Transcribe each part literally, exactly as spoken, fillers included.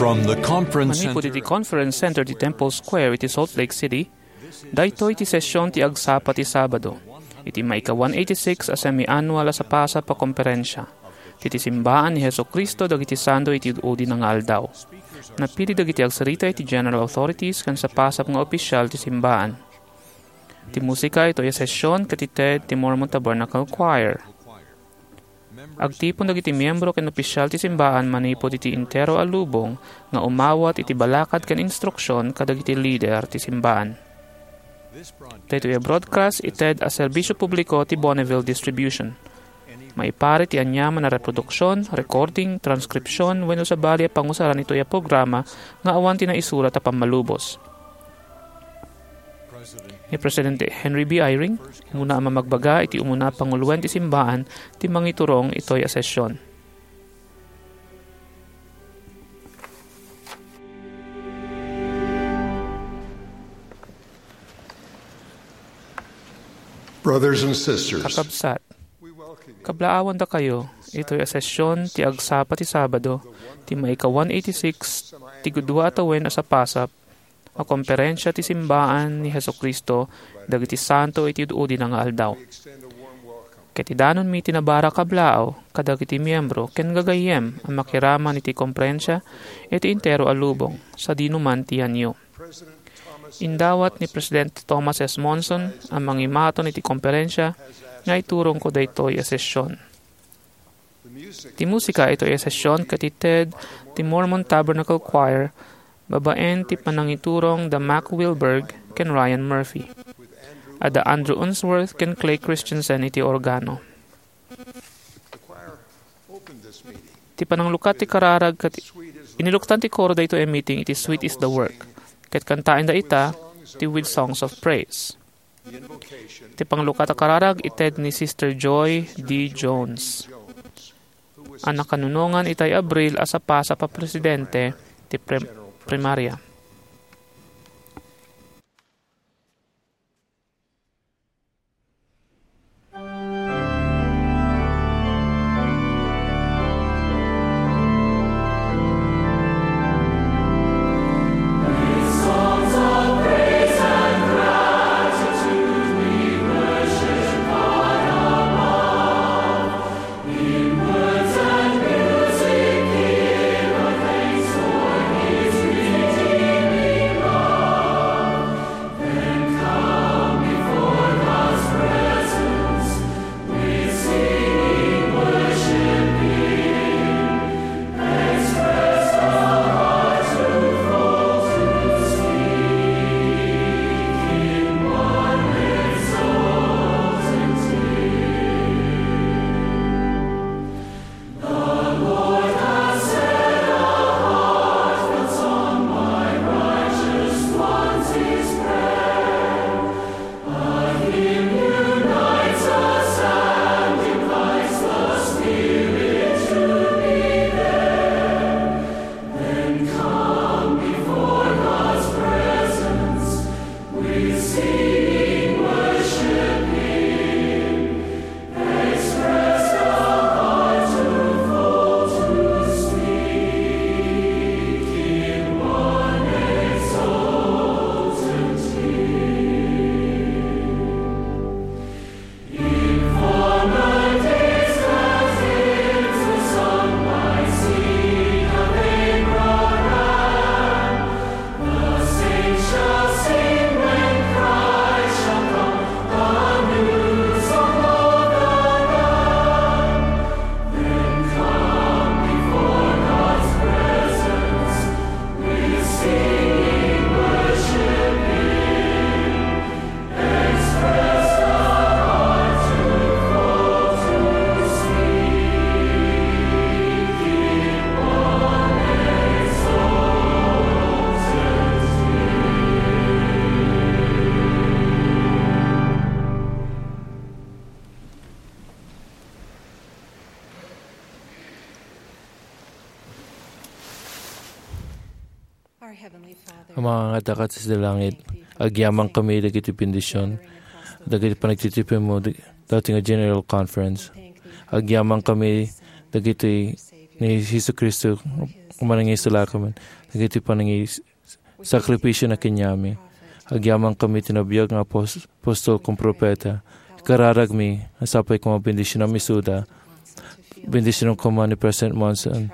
From the conference Manipud center iti Conference Center ti Temple Square iti Salt Lake City, daytoy ti session ti agsapa ti Sabado, iti maika one eighty-six a semi-annual a sapasap a komperensia ti, ti Simbaan ni Jesu-Cristo dagiti Santo iti Udi-udina nga Aldaw. Napili dagiti agsarita iti general authorities ken sapasap nga opisyal ti simbaan. Ti musika itoy a session ket ited ti Mormon Tabernacle Choir. Agtipon dagiti miyembro ken opisyal ti simbaan manipud iti entero a lubong nga umawat iti balakad ken instruksion kadagiti lider ti simbaan. Daytoy a broadcast ited a serbisyo publiko ti Bonneville Distribution. Maipari ti aniaman a reproduksion, recording, transkripsion, wenno sabali a pangusaran itoy a programa nga awan ti naisurat a pammalubos. Ni Presidente Henry B. Eyring, umuna a mamagbaga iti umuna a panguloen ti simbaan ti mangiturong itoy a session. Brothers and sisters, Kakabsat, kablaawandakayo itoy a session ti agsapa ti Sabado, ti maika one eighty-six ti gudua a tawen a sapasap a komperensia ti simbaan ni Jesu-Cristo dagiti santo iti udi-udina nga aldaw. Ket idanonmi ti nabarak a kablaaw kadagiti miyembro ken gagayyem a makiraman iti komperensia iti entero a lubong sadinoman ti yanyo. Indawat ni Presidente Thomas S. Monson a mangimaton iti komperensia nga iturongko daytoy a session. Ti musika itoy a session ket ited ti Mormon Tabernacle Choir babaen ti panangiturong da Mack Wilberg ken Ryan Murphy. Adda Andrew Unsworth ken Clay Christensen iti organo. Ti pananglukat ti kararag ket iniluktan ti koro daytoy a meeting iti Sweet is the Work, ket kantaenda ita ti With Songs of Praise. Ti panglukat a kararag ited ni Sister Joy D. Jones, a nakanunongan itay Abril a sapasap a presidente ti prim-, primaria. Ama nga adda ka sadi langit, agyamankami dagiti bendision dagiti panagtitipinmo dati nga General Conference. Agyamankami dagiti ni Jesu-Cristo a manangisalakan, dagiti panangis-, sakripisyo na kenyami. Agyamankami ti nabiag nga apos-, apostol ken profeta. Ikararagmi, a sapay koma bendisionam isuda. Bendisionam koma ni President Monson.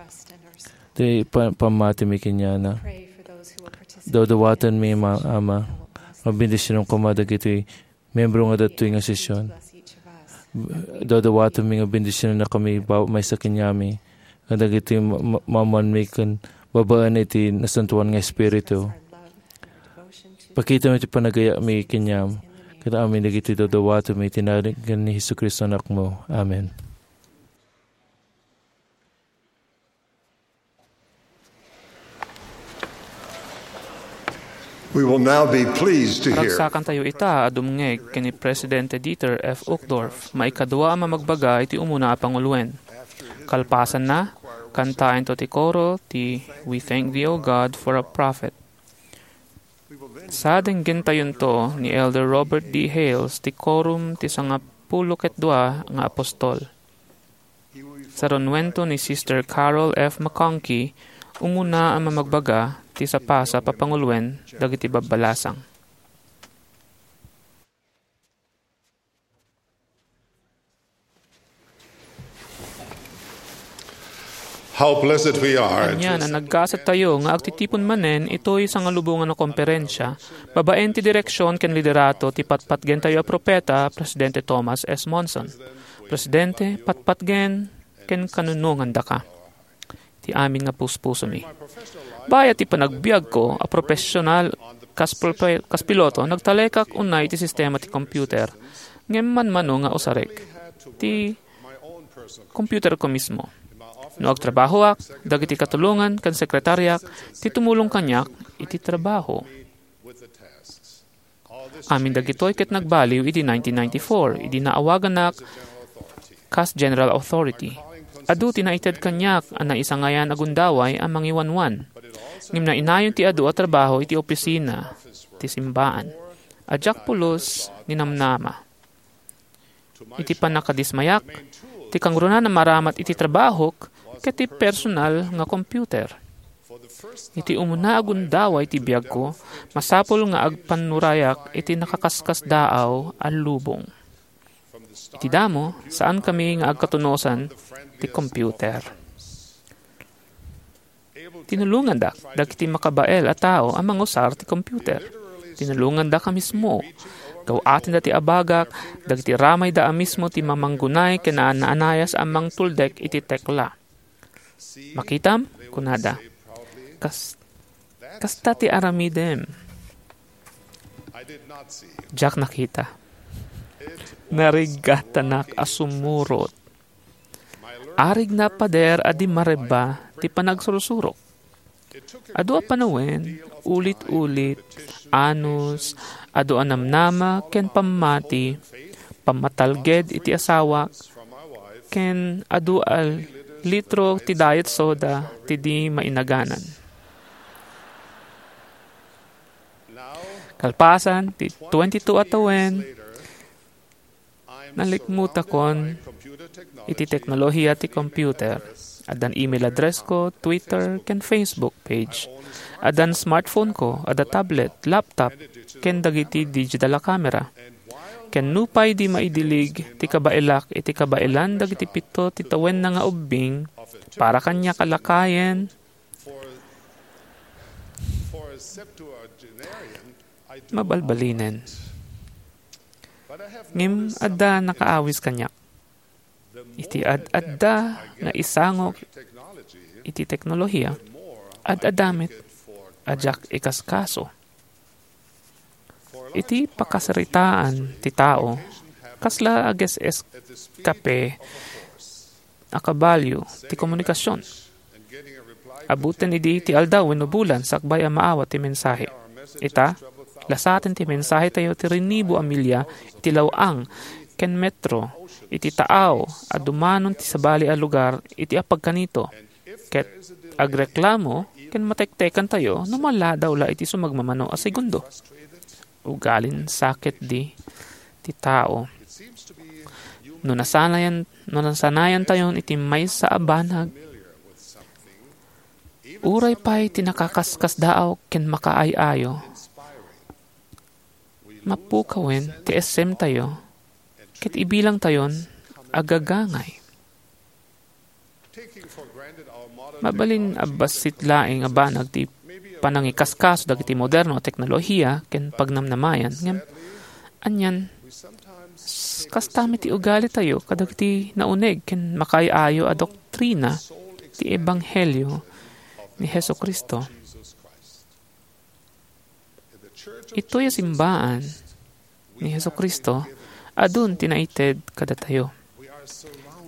Ti pa-, pammatimi kenyana. Dawdawatenmi, ma-, Ama, nga bendisionam koma dagiti miyembro nga datoy nga sesion. Dawdawatenmi nga bendisionannakami ba-, maysa kenyami, nga dagiti ma-, ma-, maammoanmi ken babaen iti Nasantoan nga Espiritu. Pakitami ti panagayami kenyam, ken amin dagiti dawdawatenmi iti nagan ni Jesu-Cristo, Anakmo. Amen. We will now be pleased to hear. Ragsakantayo ita a dumngeg ken ni Presidente Dieter F. Uchtdorf, maikadua a mamagbaga iti umuna a panguloen. Kalpasanna, kantaentayo ti koro ti We Thank Thee, O God, for a Prophet. Sa denggentayonto ni Elder Robert D. Hales ti Quorum ti Sangapulo ket Dua nga Apostol. Sarunuento ni Sister Carol F. McConkie, umuna a mamagbaga ti sapasap a panguloen dagiti babbalasang. How blessed we are. Ania a naggasattayo nga agtitipon manen itoy sangalubongan a komperensia babaen ti direksion ken liderato ti patpatgentayo a propeta, Presidente Thomas S. Monson. Presidente, patpatgen ken kanunongandaka ti amin nga puspusomi. Bayat ti panagbiagko a profesional kas prope-, kas piloto, nagtalekak unay iti sistema ti computer, ngem manmano nga usarek ti computerko mismo. No agtrabahoak, dagiti katulongan ken sekretariak ti tumulong kaniak iti trabaho. Amin dagitoy ket nagbaliw idi nineteen ninety-four, idi naawaganak kas General Authority. Adu ti naited kaniak a naisangayan a gundaway a mangiwanwan. Ngem nainayon ti adu a trabaho iti opisina ti simbaan. A diak pulos ninamnama. Iti pannakadismayak, ti kangrunaan a maramat iti trabahok ket ti personal nga computer. Iti umuna a gundaway ti biagko, masapul nga agpannurayak iti nakaskasdaaw a lubong. Iti damo, saankami nga agkatunosan ti computer. Tinulongandak dagiti makabael a tao a mangusar ti computer. Tinulongandak a mismo. Gaw-atenda ti abagak, dagiti ramayda a mismo ti mamanggunay ken naanaanayas a mangtuldek iti tekla. "Makitam?" kunada. "Kas-, kasta ti aramidem." Diak nakita. Nariggatanak a sumurot. Arigna a pader a di marebba ti panagsursurok. Adu a panawen, ulit-ulit, anus, adu a namnama ken pammati, pammatalged iti asawak, ken adu a litro ti diet soda ti di mainaganan. Kalpasan ti twenty-two a tawen, nalikmutakon iti teknolohiya ti computer. Addan email address ko, Twitter, ken Facebook page. Addan smartphone ko, adda tablet, laptop, ken dagiti digital a camera. Ken nupay di maidilig ti kabaelak iti kabaelan dagiti pito ti tawenna nga ubbing, para kaniak a lakayen, mabalbalinen. Ngem adda nakaawis kaniak. Iti ad-adda nga isangok iti teknolohiya, ad-adda met a diak ikaskaso. Iti pakasaritaan ti tao, kasla ages-eskape a kabalio ti komunikasion. Abutten idi ti aldaw wenno bulan sakbay a maawat ti mensahe. Ita, lasaten ti mensahetayo ti rinibo a milya iti law-ang ken metro iti taaw a dumanon ti sabali a lugar iti apagkanito, ket agreklamo ken matektekantayo no maladaw la iti sumagmamano a segundo. Ugalin saketdi ti tao. No nasanayan, no nasanayantayon iti maysa a banag, Uray pay ti nakakaskasdaaw ken makaay-ayo, mapukawen ti essemtayo ket ibilangtayon a gagangay. Mabalin a bassit laeng a banag ti panangikaskaso dagiti moderno a teknolohiya ken pagnamnamayan, ngem anian, s-, kasta met ti ugalitayo kadagiti nauneg ken makaay-ayo a doktrina ti ebanghelio ni Jesu-Cristo. Itoy a simbaan ni Jesu-Cristo, adun ti naited kadatayo.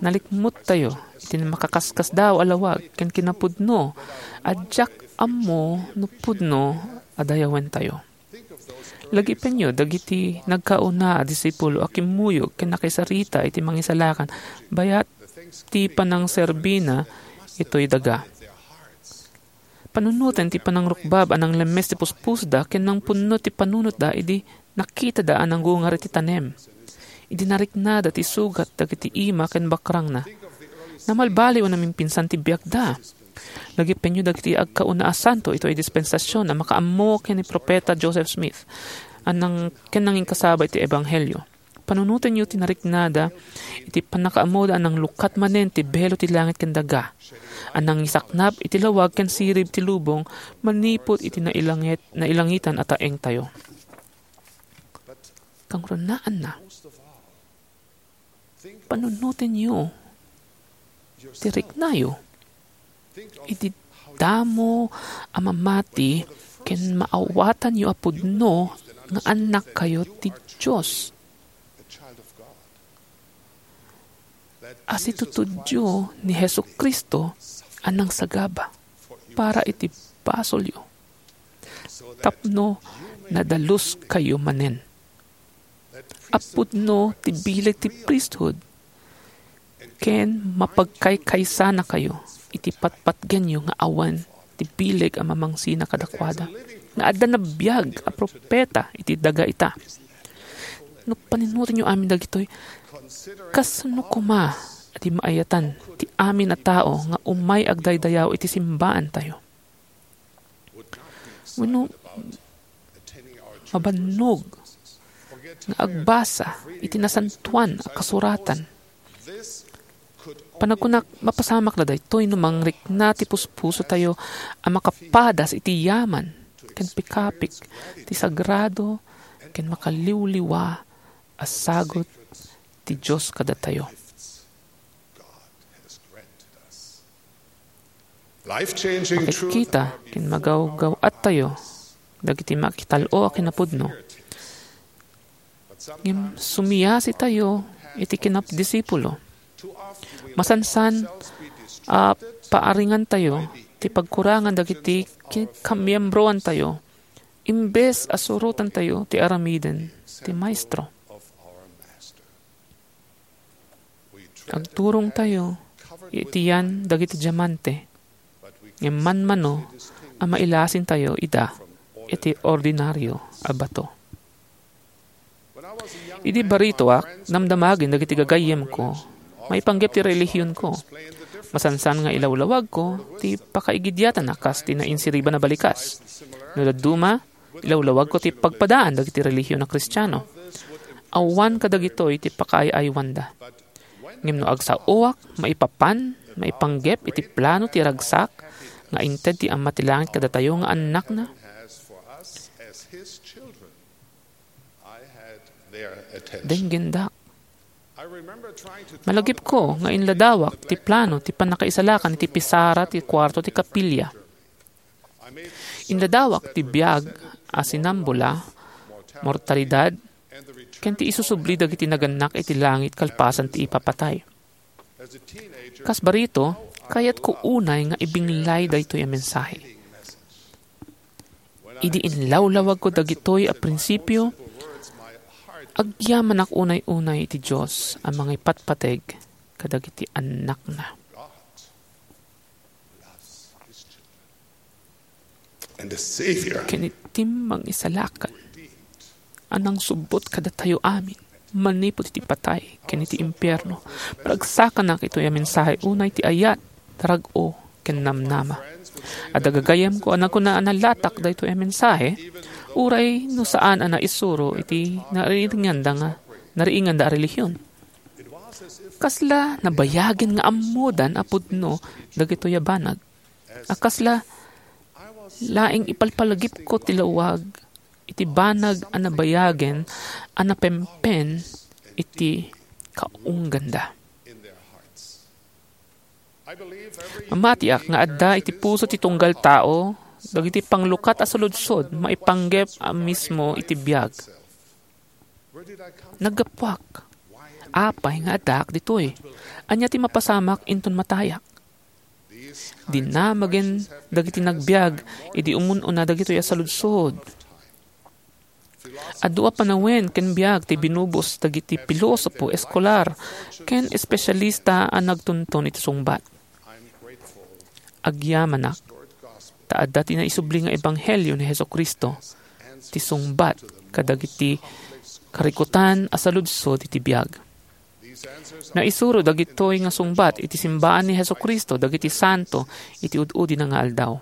Nalikmuttayo iti makakaskasdaaw a lawag ken kinapudno a diak ammo no pudno a dayawentayo. Lagipenyo dagiti nagkauna a disipulo a kimmuyog ken nakisarita iti Mangisalakan bayat ti panangserbina itoy daga. Panunoten ti panangrukbab a nanglemmes ti puspusoda ken nangpunno ti panunotda idi nakitada a nangungar iti tanem, idi nariknada ti sugat dagiti ima ken bakrangna. Namalbaliw a namimpinsan ti biagda. Lagipenyo dagiti agkauna a santo itoy dispensasion a makaammo ken ni Profeta Joseph Smith a nang-, ken nanginkasaba iti ebanghelio. Panunotenyo ti nariknada iti pannakaammoda a nanglukat manen ti belo ti langit ken daga, a nangisaknap iti lawag ken sirib ti lubong manipud iti nailangit-, nailangitan a taengtayo. Kangrunaanna, panunotenyo ti riknayo. Idi damo a mamati ken maawatanyo a pudno nga annakkayo ti Dios. Asitutudyo ni Jesu-Cristo a nangsagaba para iti basolyo, tapno nadaluskayo manen. A pudno ti bileg ti priesthood, ken mapagkaykaysanakayo iti patpatgenyo nga awan ti bileg a mamangsina kadakuada, nga adda nabiag a profeta iti daga ita. No panunotenyo amin dagitoy, kasano koma a di maayatan ti amin a tao nga umay agdaydayaw iti simbaantayo? Wenno mabannog nga agbasa iti nasantoan a kasuratan? Panagkunak, mapasamak la daytoy no mangrikna ti puspusotayo a makapadas iti yaman ken pikapik ti sagrado ken makaliwliwa a sagut ti Dios kadatayo. Makitkita ken magawgaw-attayo dagiti makital-o a kinapudno. Ngem sumiasitayo iti kinadisipulo. Masansan a paaringantayo ti pagkurangan dagiti ki-, kamiembroantayo, imbes a surotantayo ti aramiden ti Maestro. Agturongtayo iti yan dagiti diamante, ngem manmano a mailasintayo ida iti ordinario a bato. Idi baritoak, damdamagen dagiti gagayyemko maipanggep ti relihionko. Masansan nga ilawlawagko ti pakaigidiatan a kas ti nainsiriban a balikas. No dadduma, ilawlawagko ti pagpadaan dagiti relihion a Kristiano. Awan kadagitoy ti pakaay-aywanda. Ngem no agsaoak maipapan, maipanggep iti plano ti ragsak nga inted ti Ama ti Langit kadatayo nga annakna, denggendak. Malagipko nga inladawak ti plano ti pannakaisalakan iti pisara ti kuarto ti kapilya. Inladawak ti biag a sinambula, mortalidad, ken ti isusubli dagiti nagannak iti langit kalpasan ti ipapatay. Kas barito, kayatko unay nga ibinglay daytoy a mensahe. Idi inlawlawagko dagitoy a prinsipio, agyamanak unay-unay iti Dios a mangipatpateg kadagiti annakna. And the Savior ken iti Mangisalakan a nangsubbot kadatayo amin manipud iti patay ken iti impierno. Maragsakanak itoy a mensahe unay ti ayat, rag-o, ken namnama. Adda gagayyemko a nagkuna a nalatak daytoy a mensahe, uray no saan a naisuro iti nariinganda nga, nariinganda a relihion. Kasla nabayagen nga ammodan a pudno dagitoy a banag. A kasla laeng ipalpalagipko ti lawag iti banag a nabayagen a napempen iti kaungganda. Mamatiak nga adda iti puso ti tunggal tao dagiti panglukat a saludsod maipanggep a mismo iti biag. Naggapuak. Apay nga addaak ditoy? Ania ti mapasamak inton matayak? Dinamagen dagiti nagbiag idi umun-una dagitoy a saludsod. Adu a panawen ken biag ti binubus dagiti pilosopo, eskolar, ken espesialista a nagtuntun iti sungbat. Agyamanak, ta adda ti naisubli nga ebanghelio ni Jesu-Cristo, ti sungbat kadagiti karikutan a saludsod iti biag. Naisuro dagitoy nga sungbat iti simbaan ni Jesu-Cristo dagiti santo iti ud-udina nga aldaw.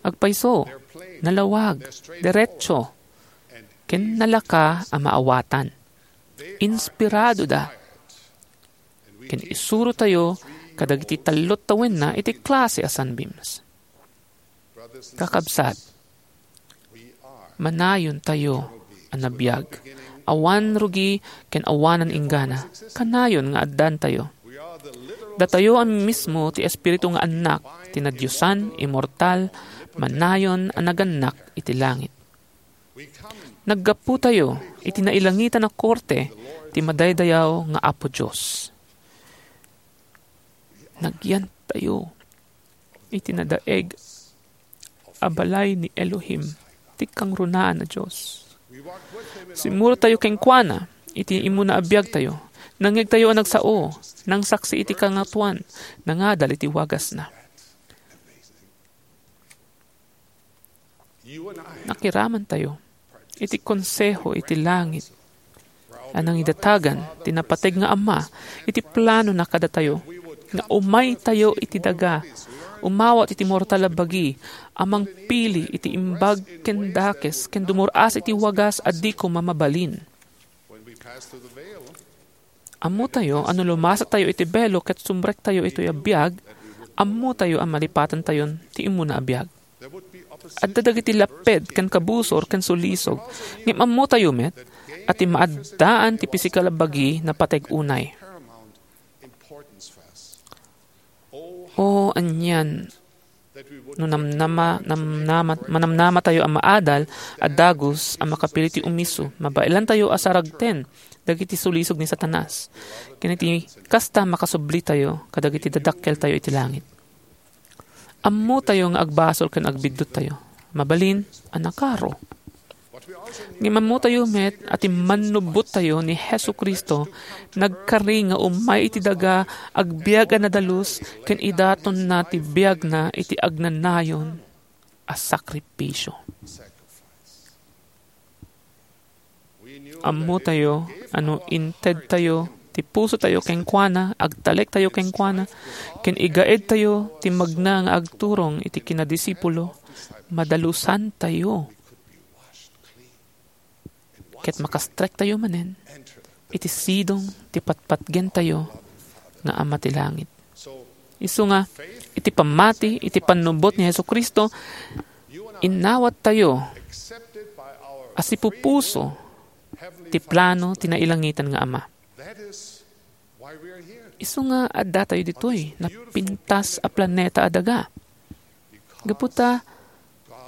Agpayso, nalawag, derecho, ken nalaka a maawatan. Inspiradoda. Ken isurotayo kadagiti tallo tawenna iti klase a sunbeams. Kakabsat, manayontayo a nabiag. Awan rugi ken awanan inggana. Kanayon nga addantayo. Datayo a mismo ti espiritu nga annak ti nadiosan, immortal, manayon a nagannak iti langit. Naggapotayo iti nailangitan a korte ti madaydayaw nga Apo Dios. Nagyantayo iti nadaeg a balay ni Elohim, ti kangrunaan a Dios. Simmurotayo kenkuana iti immuna a biagtayo. Nangngegtayo a nagsao, nangsaksi iti Kangatoan, nangadal iti wagasna. Nakiramantayo iti konseho iti langit a nangidatagan ti napateg nga Ama iti planona kadatayo, nga umaytayo iti daga, umawat iti mortal a bagi a mangpili iti imbag ken dakes ken dumur-as iti wagas a di koma mabalin. Ammotayo a no lumasatayo iti belo ket sumrektayo itoy a biag, ammotayo a malipatentayon ti immuna a biag. Adda dagiti lapped ken kabusor ken sulisog, ngem ammotayo met a ti maaddaan ti pisikal a bagi napateg unay. O, anian no namnama, namnama, manamnamatayo a maadal a dagus a makapili ti umiso, mabaelantayo a saragten dagiti sulisog ni Satanas. Ken iti kasta, makasublitayo kadagiti dadakkeltayo iti langit. Ammotayo nga agbasol ken agbidduttayo. Mabalin a nakaro. Ngem ammotayo met a ti mannubbottayo ni Jesu-Cristo nagkari nga umay iti daga, agbiag a nadalus, ken idatonna ti biagna iti agnanayon a sakrifisio. Ammotayo a no intedtayo ti pusotayo kenkuana, agtalektayo kenkuana, ken igaedtayo ti magna nga agturong iti kinadisipulo, madalusantayo. Ket makastrektayo manen iti sidong ti patpatgentayo nga Ama ti langit. Isu nga, iti pammati iti pannubbot ni Jesu-Cristo, innawattayo a sipupuso ti plano ti nailangitan nga Ama. Isu nga addatayo ditoy napintas a planeta a daga. Gapu ta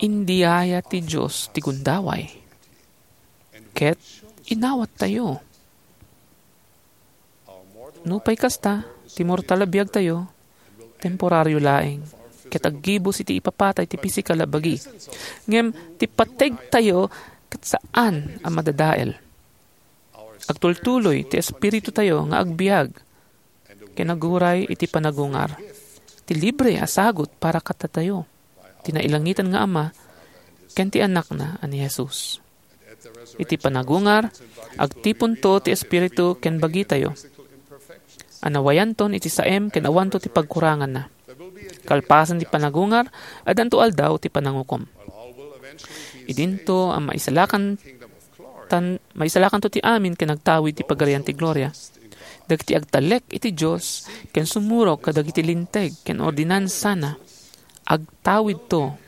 indiaya ti Dios ti gundaway. Ket inawattayo. Nupay kasta, ti mortal a biagtayo, temporario laeng, ket aggibus iti ipapatay ti pisikal a bagi. Ngem ti pategtayo ket saan a madadael. Agtultuloy ti espiritutayo nga agbiag ken aguray iti panagungar. Ti libre a sagut para kadatayo, ti nailangitan nga Ama ken ti Anakna a ni Jesus. Iti panagungar, agtiponto ti Espiritu ken bagitayo a nawayanton iti saem ken awanto ti pagkuranganna. Kalpasan ti panagungar, addanto aldaw ti panangukom. Idinto a maisalakan tan, maisalakanto ti amin ken agtawid ti Pagarian ti Gloria. Dagiti agtalek iti Dios ken sumurot kadagiti linteg ken ordinansana, agtawidto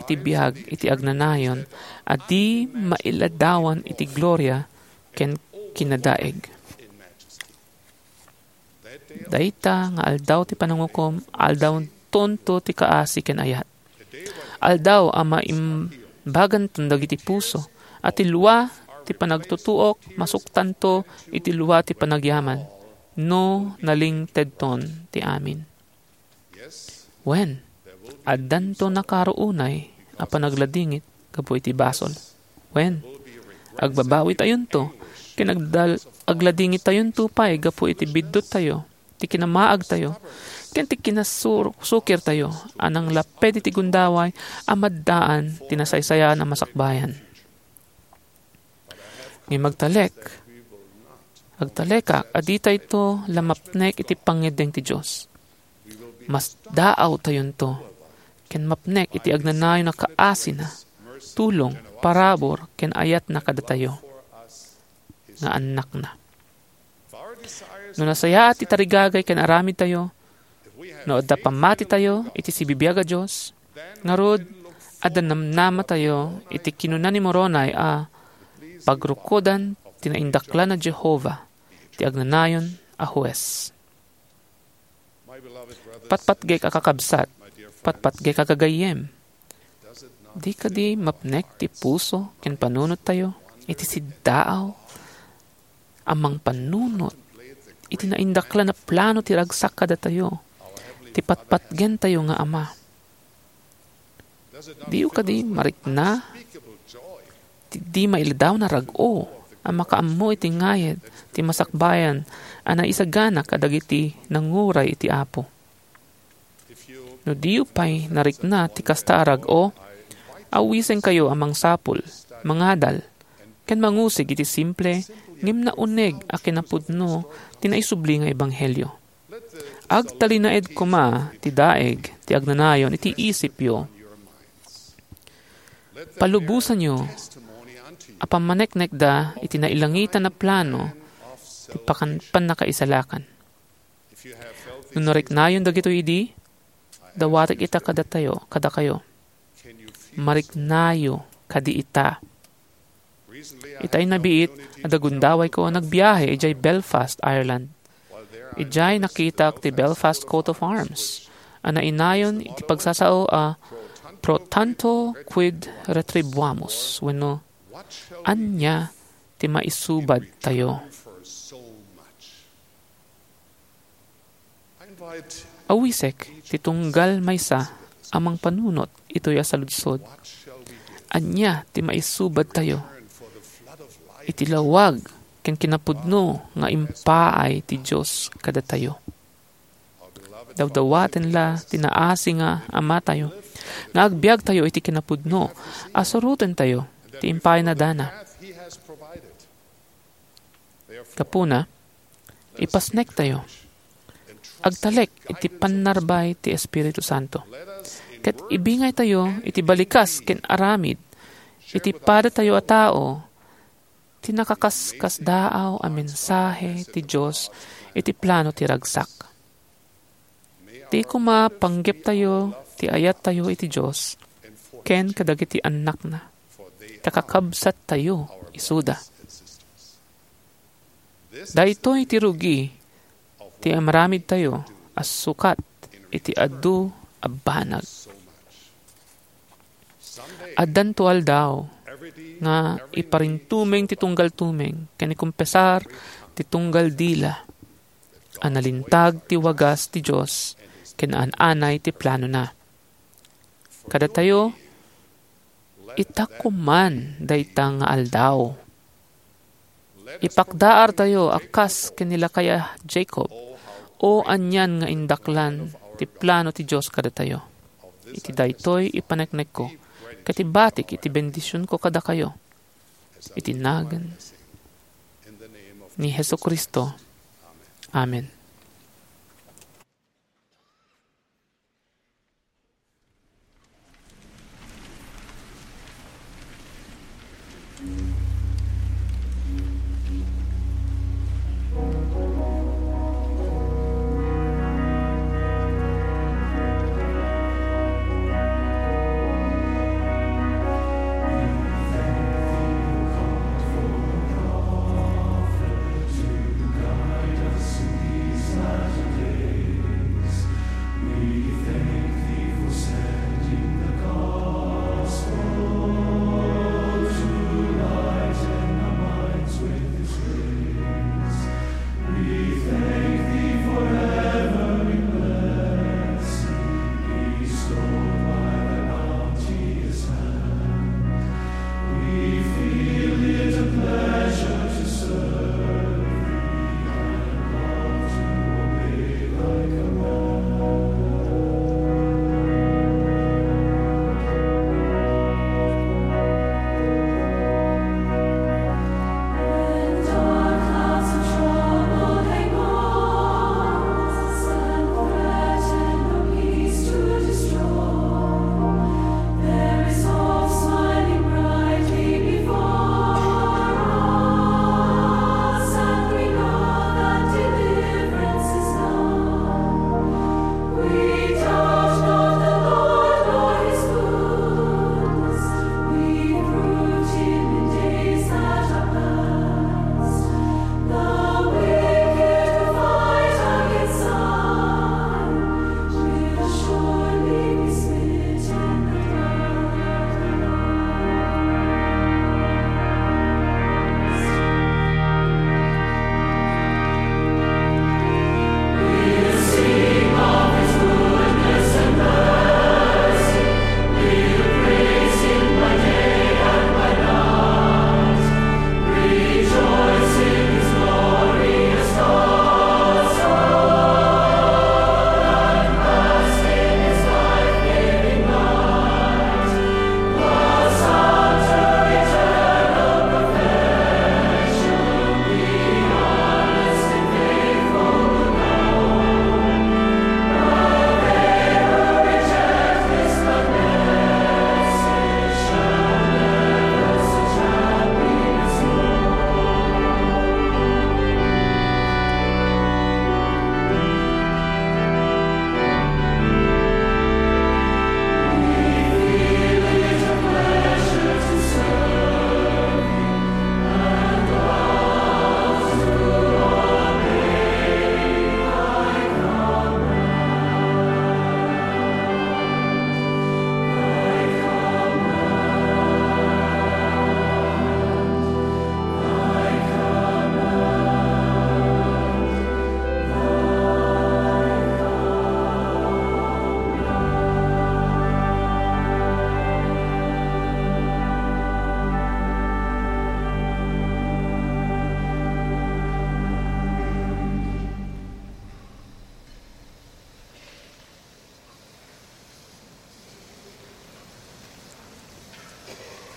iti biag iti agnanayon a di mailadawan iti gloria ken kinadaeg. Dayta nga aldaw ti panangukom, aldawtonto ti kaasi ken ayat. Aldaw a maimbaganton dagiti puso, a ti lua ti panagtutuok masuktanto iti lua ti panagyaman, no nalingtedton ti amin. Wen, addanto nakaro unay a panagladingit gapu iti basol. Wen, agbabawitayonto, ken agdal-, agladingittayonto pay gapu iti bidduttayo, ti kinamaagtayo, ken ti kinasukirtayo a nanglapped iti gundaway a maddaan ti nasaysayaan a masakbayan. Ngem agtalek, agtalekak a ditayto la mapnek iti pangngeddeng ti Dios. Masdaawtayonto ken mapnek iti agnanayon a kaasina, tulong, parabur, ken ayatna kadatayo nga annakna. No nasayaat ti tarigagay ken aramidtayo, no adda pammatitayo iti sibibiag a Dios, ngarud, adda namnamatayo iti kinuna ni Moroni a pagrukodan ti naindaklan a Jehovah, ti agnanayon a hues. Patpatgek a kakabsat, patpatgek a gagayyem. Di kadi mapnek ti puso ken panunottayo iti siddaaw a mangpanunot iti naindaklan a plano ti ragsak kadatayo, ti patpatgentayo nga Ama? Diyo kadi marikna ti di mailadawan a rag-o a makaammo iti ngayed ti masakbayan a naisagana kadagiti nanguray iti Apo? No diyo pay narikna ti kasta a rag-o, awisenkayo a mangsapul, mangadal, ken mangusig iti simple ngem nauneg a kinapudno ti naisubli nga ebanghelio. Agtalinaed koma ti daeg ti agnanayon iti isipyo. Palubosanyo a pammaneknekda iti nailangitan a plano ti pakan-, pannakaisalakan. No nariknayon dagitoy idi, dawatek ita kadatayo, kadakayo. Mariknayo kadi ita. Ita innabiit, adda gundawayko a nagbiahe idiay Belfast, Ireland. Idiay nakitak ti Belfast coat of arms a nainayon iti pagsasao a "Pro tanto quid retribuamus?" wenno "Ania ti maisubadtayo?" Awisek ti tunggal maysa a mangpanunot itoy a saludsod. Ania ti maisubadtayo iti lawag ken kinapudno nga impaay ti Dios kadatayo? Dawdawaten la ti naasi nga Amatayo nga agbiagtayo iti kinapudno a surotentayo ti impaayna dana. Gapuna, ipasnektayo. Agtalek iti pannarbay ti Espiritu Santo. Ket ibingaytayo iti balikas ken aramid iti padatayo a tao ti nakaskasdaaw a mensahe ti Dios iti plano ti ragsak. Ti koma panggeptayo ti ayattayo iti Dios ken kadagiti annakna, ta kakabsattayo isuda. Daytoy ti rugi ti amaramidtayo a sukat iti adu a banag. Addanto aldaw nga iparintumeng ti tunggal tumeng ken ikumpesar ti tunggal dila a nalintag ti wagas ti Dios ken an-anay ti planona. Kadatayo, ita koman dayta nga aldaw. Ipakdaartayo a kas ken ni lakay a Jacob, o anian nga indaklan ti plano ti Dios kadatayo. Iti daytoy ipaneknekko, ket ibatik iti bendisionko kadakayo. Iti nagan ni Jesu-Cristo. Amen.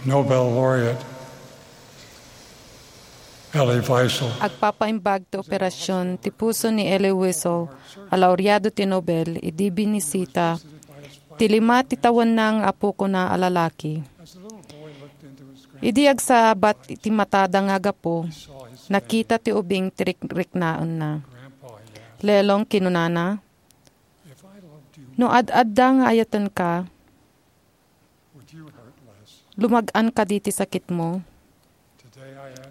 Nobel laureate Elie Wiesel. Agpapaimbag ti operasyon ti puso ni Elie Wiesel a laureado ti Nobel idi binisita ti lima ti tawenna nga apokona a lalaki. Idi agsabat ti matada nga gapu, nakita ti ubing ti rikriknaenna. "Lelong," kinunana, "no ad-adda nga ayatenka, lumag-an kadi ti sakitmo."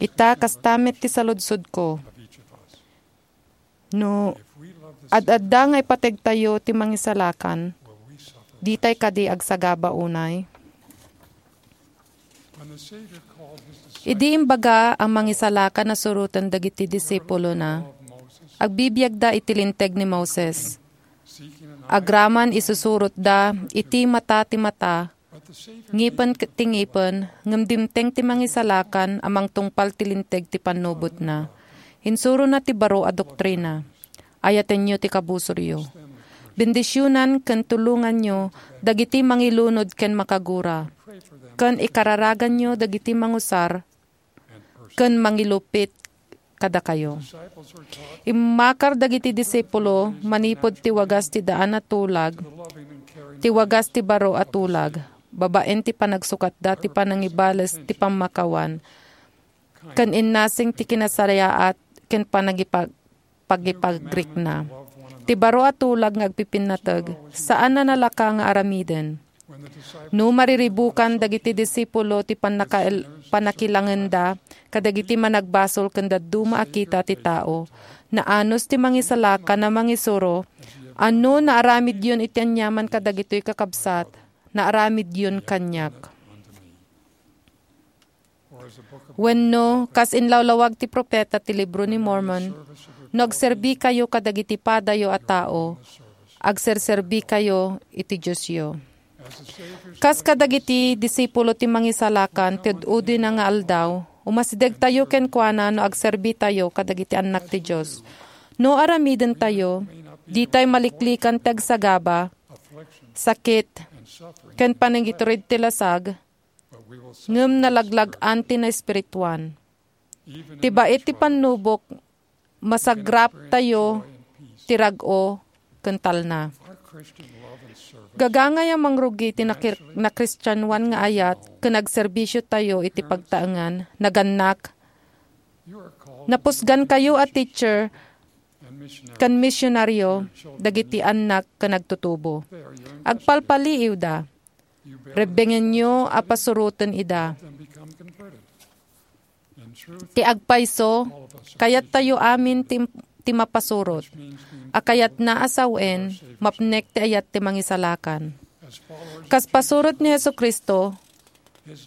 Ita, kasta met ti saludsodko. No ad-adda nga ipategtayo ti mangisalakan, ditay kadi agsagaba unay? Idi imbaga a mangisalakan a suroten dagiti disipulona, agbibiagda iti Linteg ni Moses. Agraman isusurotda iti mata ti mata, ngipen ket ti ngipen, ngem dimteng ti mangisalakan a mangtungpal ti Linteg ti pannubotna. Insurona ti baro a doktrina. Ayatenyo ti kabusoryo. Bendisionan ken tulonganyo dagiti mangilunod ken makagura, ken ikararaganyo dagiti mangusar ken mangilupit kadakayo. Immakar dagiti disipulo manipud ti wagas ti daan a tulag, ti wagas ti baro a tulag, babaen ti panagsukatda ti panangibales ti pammakawan, ken innasing ti kinasariaat ken panagipag-, pagipagrikna. Ti baro a tulag nga agpipinnateg, saan a nalaka nga aramiden. No mariribukan dagiti disipulo ti pannakael-, pannakilangenda kadagiti managbasol ken dadduma a kita ti tao, naanus ti mangisalakan a mangisuro, a no naaramidyon iti aniaman kadagitoy kakabsat, naaramidyon kaniak. Wenno, kas inlawlawag ti profeta ti Libro ni Mormon, "No agserbikayo kadagiti padayo a tao, agserserbikayo iti Diosyo." Kas kadagiti disipulo ti Mangisalakan ti ud-udina nga aldaw, umasidegtayo kenkuana no agserbitayo kadagiti annak ti Dios. No aramidentayo, ditay maliklikan ti agsagaba, sakit, ken panangitured ti lasag, ngem nalaglag-an ti naespirituan. Ti bait ti pannubok, masagraptayo ti rag-o ken talna. Gagangay a mangrugi ti nakir-, nakristianoan nga ayat ken agserbisiotayo iti pagtaengan, nagannak. Napusgankayo a teacher ken misionario dagiti annak ken agtutubo. Agpalpaliiwda. Rebbengenyo a pasuroten ida. Ti agpayso, kayattayo amin ti, ti mapasurot. A kayatna a sawen, mapnek ti ayat ti Mangisalakan. Kas pasurot ni Jesu-Cristo,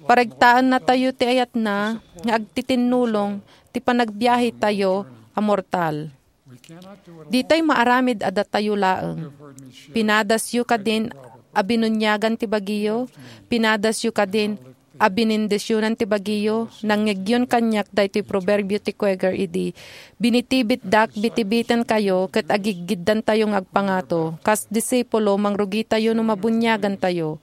paregtaennatayo ti ayatna nga agtitinnulong ti panagbiahetayo a mortal. Ditay maaramid a datayo laeng. Pinadasyo kadin a binuniagan ti bagiyo? Pinadasyo kadin a binindisionan ti bagiyo? Nangngegyon kaniak daytoy proverbio ti Quaker idi, "Binitibitdak, bitibitenkayo, ket agiggiddantayo nga agpangato." Kas disipulo, mangrugitayo no mabuniagantayo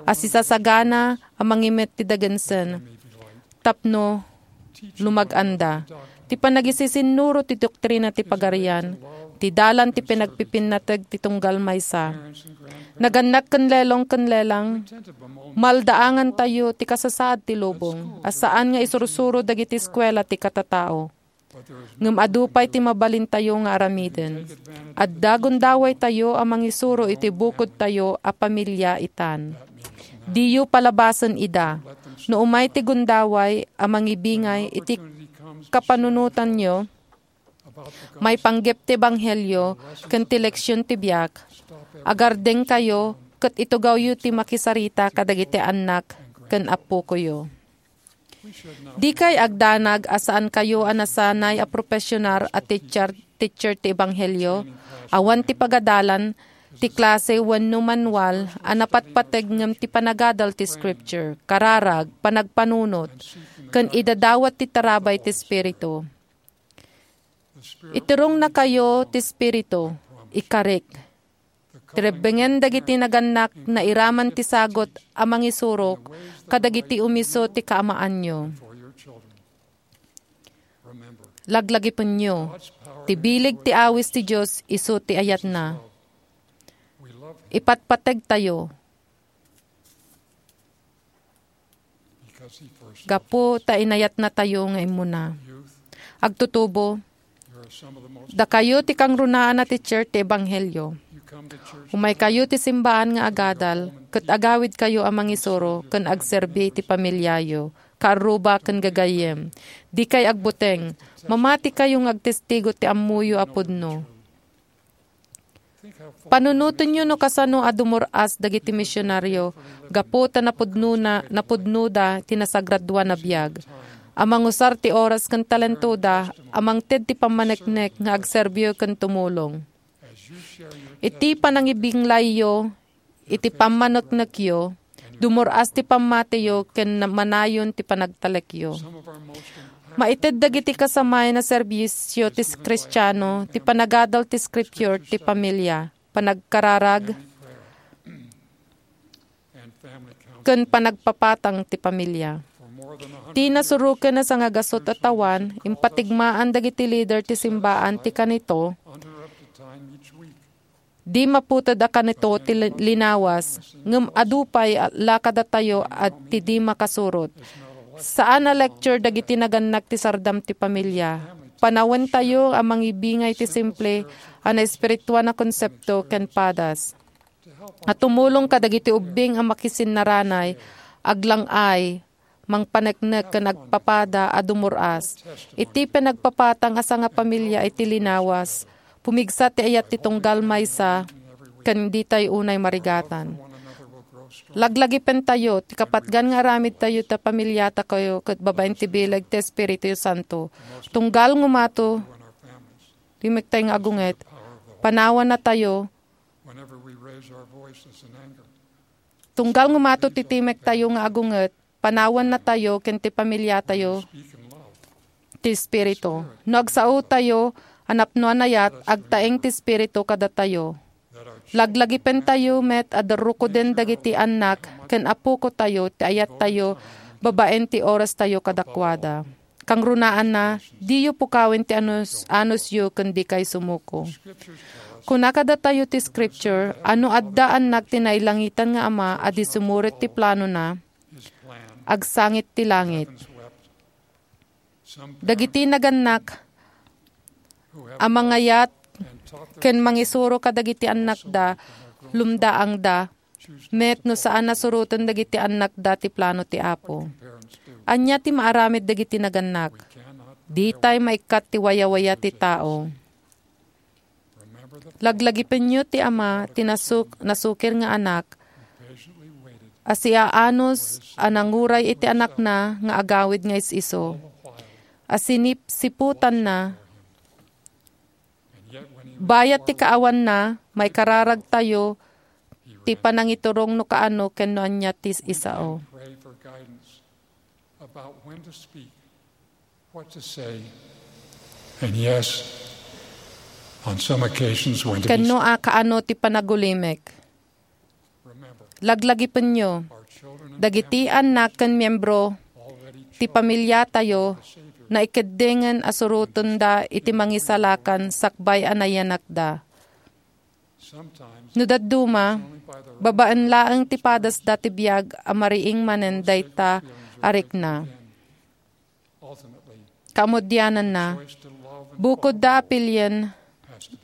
a sisasagana a mangimet ti dagensen tapno lumag-anda. Ti panagisisinuro ti doktrina ti Pagarian, ti dalan ti pinagpipinnateg ti tunggal maysa. Nagannak ken lelong ken lelang, maldaangantayo ti kasasaad ti lubong, a saan nga isursuro dagiti eskuela ti katatao. Ngem adu pay ti mabalintayo nga aramiden. Adda gundawaytayo a mangisuro iti bukodtayo a pamilia itan. Diyo palabasen ida. No umay ti gundaway a mangibingay iti kapanunotanyo, maipanggep ti ebanghelio ken ti leksion ti biag, agardengkayo ket itugawyo ti makisarita kadagiti annak ken appokoyo. Dikay agdanag a saankayo a nasanay a profesional a teacher, teacher ti ebanghelio. Awan ti pagadalan ti klase wenno manual a napatpateg ngem ti panagadal ti Scripture, kararag, panagpanunot, ken idadawat ti tarabay ti Espiritu. Iturongnakayo ti Espiritu, ikarik. Ti rebbengen dagiti nagannak nairaman ti sagut a mangisurok kadagiti umiso ti kaamaanyo. Laglagipenyo, ti bileg ti awis ti Dios isu ti ayatna. Ipatpategtayo. Gapu ta inayatnatayo nga immuna. Agtutubo, dakayo ti kangrunaan a teacher ti ebanghelio. Umaykayo ti simbaan nga agadal, ket agawidkayo a mangisuro ken agserbi ti pamiliayo, kaarruba ken gagayyem. Dikay agbuteng. Mamatikayo nga agtestigo ti ammoyo a pudno. Panunotenyo no kasano a dumur-as dagiti misionario gapu ta napudnona, napudnoda ti nasagradoan a biag. A mangusar ti oras ken talentoda a mangted ti pammaneknek nga agserbi ken tumulong. Iti panangibinglayyo, iti pammaneknekyo, dumur-as ti pammatiyo ken na-, manayon ti panagtalekyo. Maited dagiti kasamayan a serbisio ti Kristiano, ti panagadal ti Scripture, ti pamilya, panagkararag, ken panagpapatang ti pamilya. Ti nasuroken a sangagasut a tawen, impatigmaan dagiti lider ti simbaan ti kanito, di maputed a kanito ti li-, linawas, ngem adu pay a la kadatayo a ti di makasurot. Saan a lecture dagiti nagannak ti sardam ti pamilya. Panawentayo a mangibingay ti simple a naespirituan a konsepto ken padas a tumulong kadagiti ubbing a makisinnaranay, aglang-ay, mangpaneknek ken agpapada a dumur-as. Iti panagpapatang a sangapamilya iti linawas, pumigsa ti ayat ti tunggal maysa ken ditay unay marigatan. Laglagipentayo ti kapatgan nga aramidtayo ta pamiliatayo ket babaen ti bileg ti Espiritu Santo. Tunggal ngumato, timektay nga agunget, panawannatayo. Tunggal ngumato ti timektayo nga agunget, panawannatayo ken ti pamiliatayo ti Espiritu. No agsaotayo a napno a nayat, agtaeng ti Espiritu kadatayo. Laglagipentayo met a darrukoden dagiti annak ken apokotayo ti ayattayo babaen ti orastayo kadakuada. Kangrunaanna, diyo pukawen ti anus-, anusyo ken dikay sumuko. Kuna kadatayo ti Scripture a no adda annak ti nailangitan nga Ama a di sumurit ti planona, agsangit ti langit. Dagiti nagannak a mangayat ken mangisuro kadagiti annakda, lumdaangda met no saan a suroten dagiti annakda ti plano ti Apo. Ania ti maaramid dagiti nagannak? Ditay maikkat ti wayawaya ti tao. Laglagipenyo ti ama ti nasuk-, nasukir nga anak a siaanus a nanguray iti anakna nga agawid nga is-isu, a sinipsiputanna. Bayat ti kaawanna, maikararagtayo ti panangiturong no kaano ken no ania ti isao. About when to speak, what to say, and yes, on some occasions, when to be Ken no a kaano ti panagulimek. Remember, laglagipenyo, our children and dagiti annak ken miembro already ti pamilyatayo naikeddingen a surotenda iti mangisalakan sakbay a nayanakda. No dadduma, babaen laeng ti padasda ti biag a mariing manen dayta a rikna. Kaammudiananna, bukodda a pilien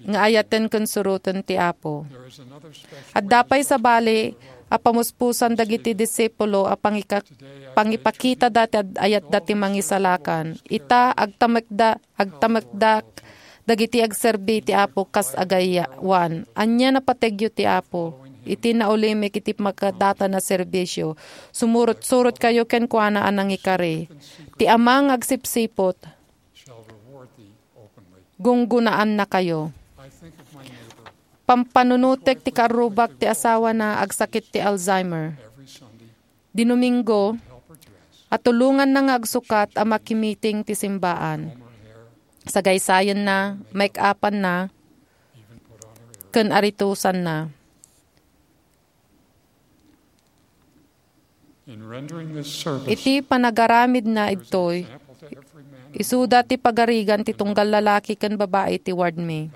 nga ayaten ken suroten ti Apo. Adda pay sabali a pamuspusan dagiti disipulo a pangika-, pangipakitada ti ad-, ayatda ti mangisalakan. Ita, agtamekda, agtamekdak dagiti agserbi ti Apo kas agayawan. Ania napategyo ti Apo? Iti naulimek iti makadatan a serbisio, sumurot-surotkayo kenkuana a nangikari. Ti Ama nga agsipsiput, gunggunaannakayo. Pampanunotek ti karrubak ti asawana agsakit ti Alzheimer. Dinominggo, atulonganna nga agsukat a makimiting ti simbaan. Sagaysayanna, make-upanna, ken aritosanna. Iti panagaramidna idtoy, isuda ti pagarigan ti tunggal lalaki ken babai ti ward mi.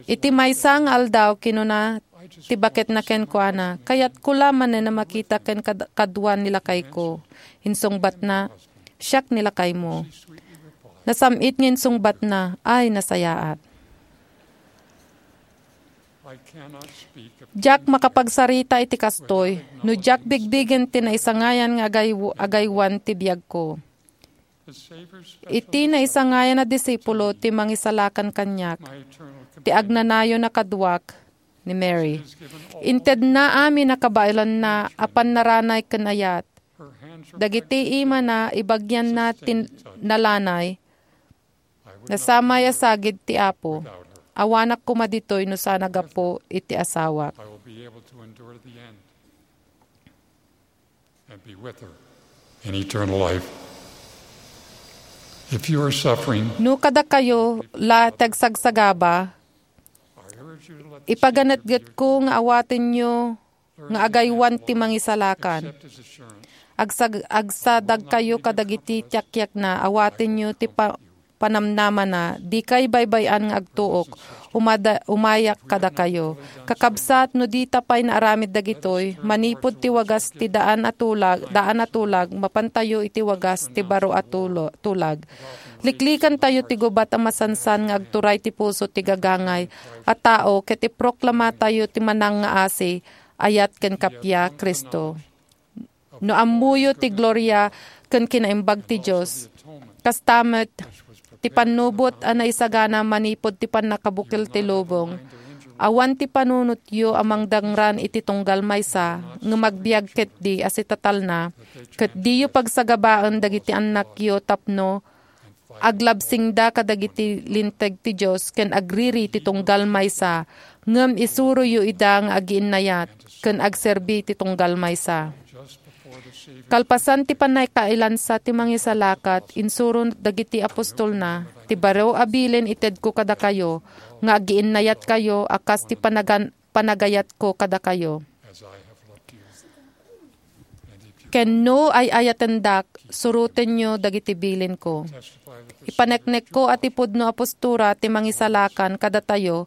Iti maysa nga aldaw, kinuna ti baketna kenkuana, "Kayatko la manen a makita ken kad-, kadua ni lakayko." Insungbatna, "Siak ni lakaymo." Nasam-it nga insungbatna, "Ay, nasayaat." Diak makapagsarita iti kastoy, no diak bigbigen ti naisangayan nga agay-, agaywan ti biagko. Iti naisangayan a disipulo ti mangisalakan kaniak, ti agnanayon a kaduak ni Mary. Intedna amin a kabaelanna a pannaranay ken ayat. Dagiti imana, ibagianna ti nalanay, nasamay a sagid ti Apo. Awanak koma ditoy no saan a gapu iti asawak. And be with her in eternal life. If you are suffering, No kadakayo la ti agsagsagaba, I urge you to let the ipaganetgetko nga awatenyo nga agaywan ti mangisalakan. Accept his assurance. Agsag-, agsadagkayo kadagiti tiakiakna, awatenyo ti pa-, panamnamana, dikay baybay-an nga agtuok, umada-, umayak kadakayo. Kakabsat, no dita pay naaramid dagitoy, manipud ti wagas ti daan a tulag, daan a tulag, mapantayo iti wagas ti baro a tulo-, tulag. Liklikantayo ti gubat a masansan nga agturay ti puso ti gagangay a tao ket iproklamatayo ti manangngaasi, ayat ken kappia, Cristo. No ammoyo ti gloria ken kinaimbag ti Dios, kasta met ti pannubot a naisagana manipud ti pannakabukel ti lubong, awan ti panunotyo a mangdangran iti tunggal maysa, ngem agbiag ketdi a sitatalna, ket diyo pagsagabaen dagiti annakyo tapno aglabsingda kadagiti linteg ti Dios ken agriri ti tunggal maysa, ngem isuroyo ida nga agiinnayat ken agserbi ti tunggal maysa. Kalpasan ti pannakailansa ti mangisalakat, insuro dagiti apostolna, "Ti baro a bilin itedko kadakayo, nga agiinnayatkayo a kas ti panagan-, panagayatko kadakayo." Ken no ay-ayatendak, surotenyo dagiti bilinko. Ipaneknekko a ti pudno a postura ti mangisalakan kadatayo,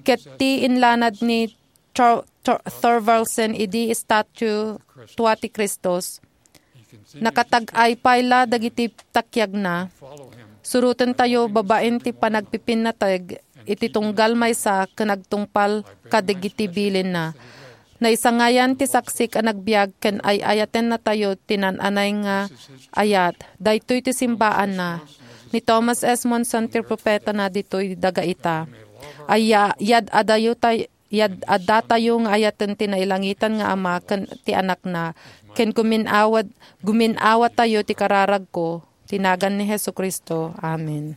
ket ti inlanad ni Thor-, Thor-, Thorvaldsen idi estatua ti Kristus. Nakatag-ay pay la dagiti takiagna. Surotentayo babaen ti panagpipinnateg iti tunggal maysa ken agtungpal kadagiti bilinna. Naisangayan ti saksik a nagbiag ken ay-ayatennatayo ti naan-anay nga ayat. Daytoy ti simbaanna. Ni Thomas S. Monson ti propetana ditoy daga ita. Aya-, yad-adayo tay-, yad-, addatayo nga ayaten ti nailangitan nga Ama ken ti Anakna, ken gumin-awat-, gumin-awatayo ti kararagko. Ti nagan ni Jesu-Cristo. Amen.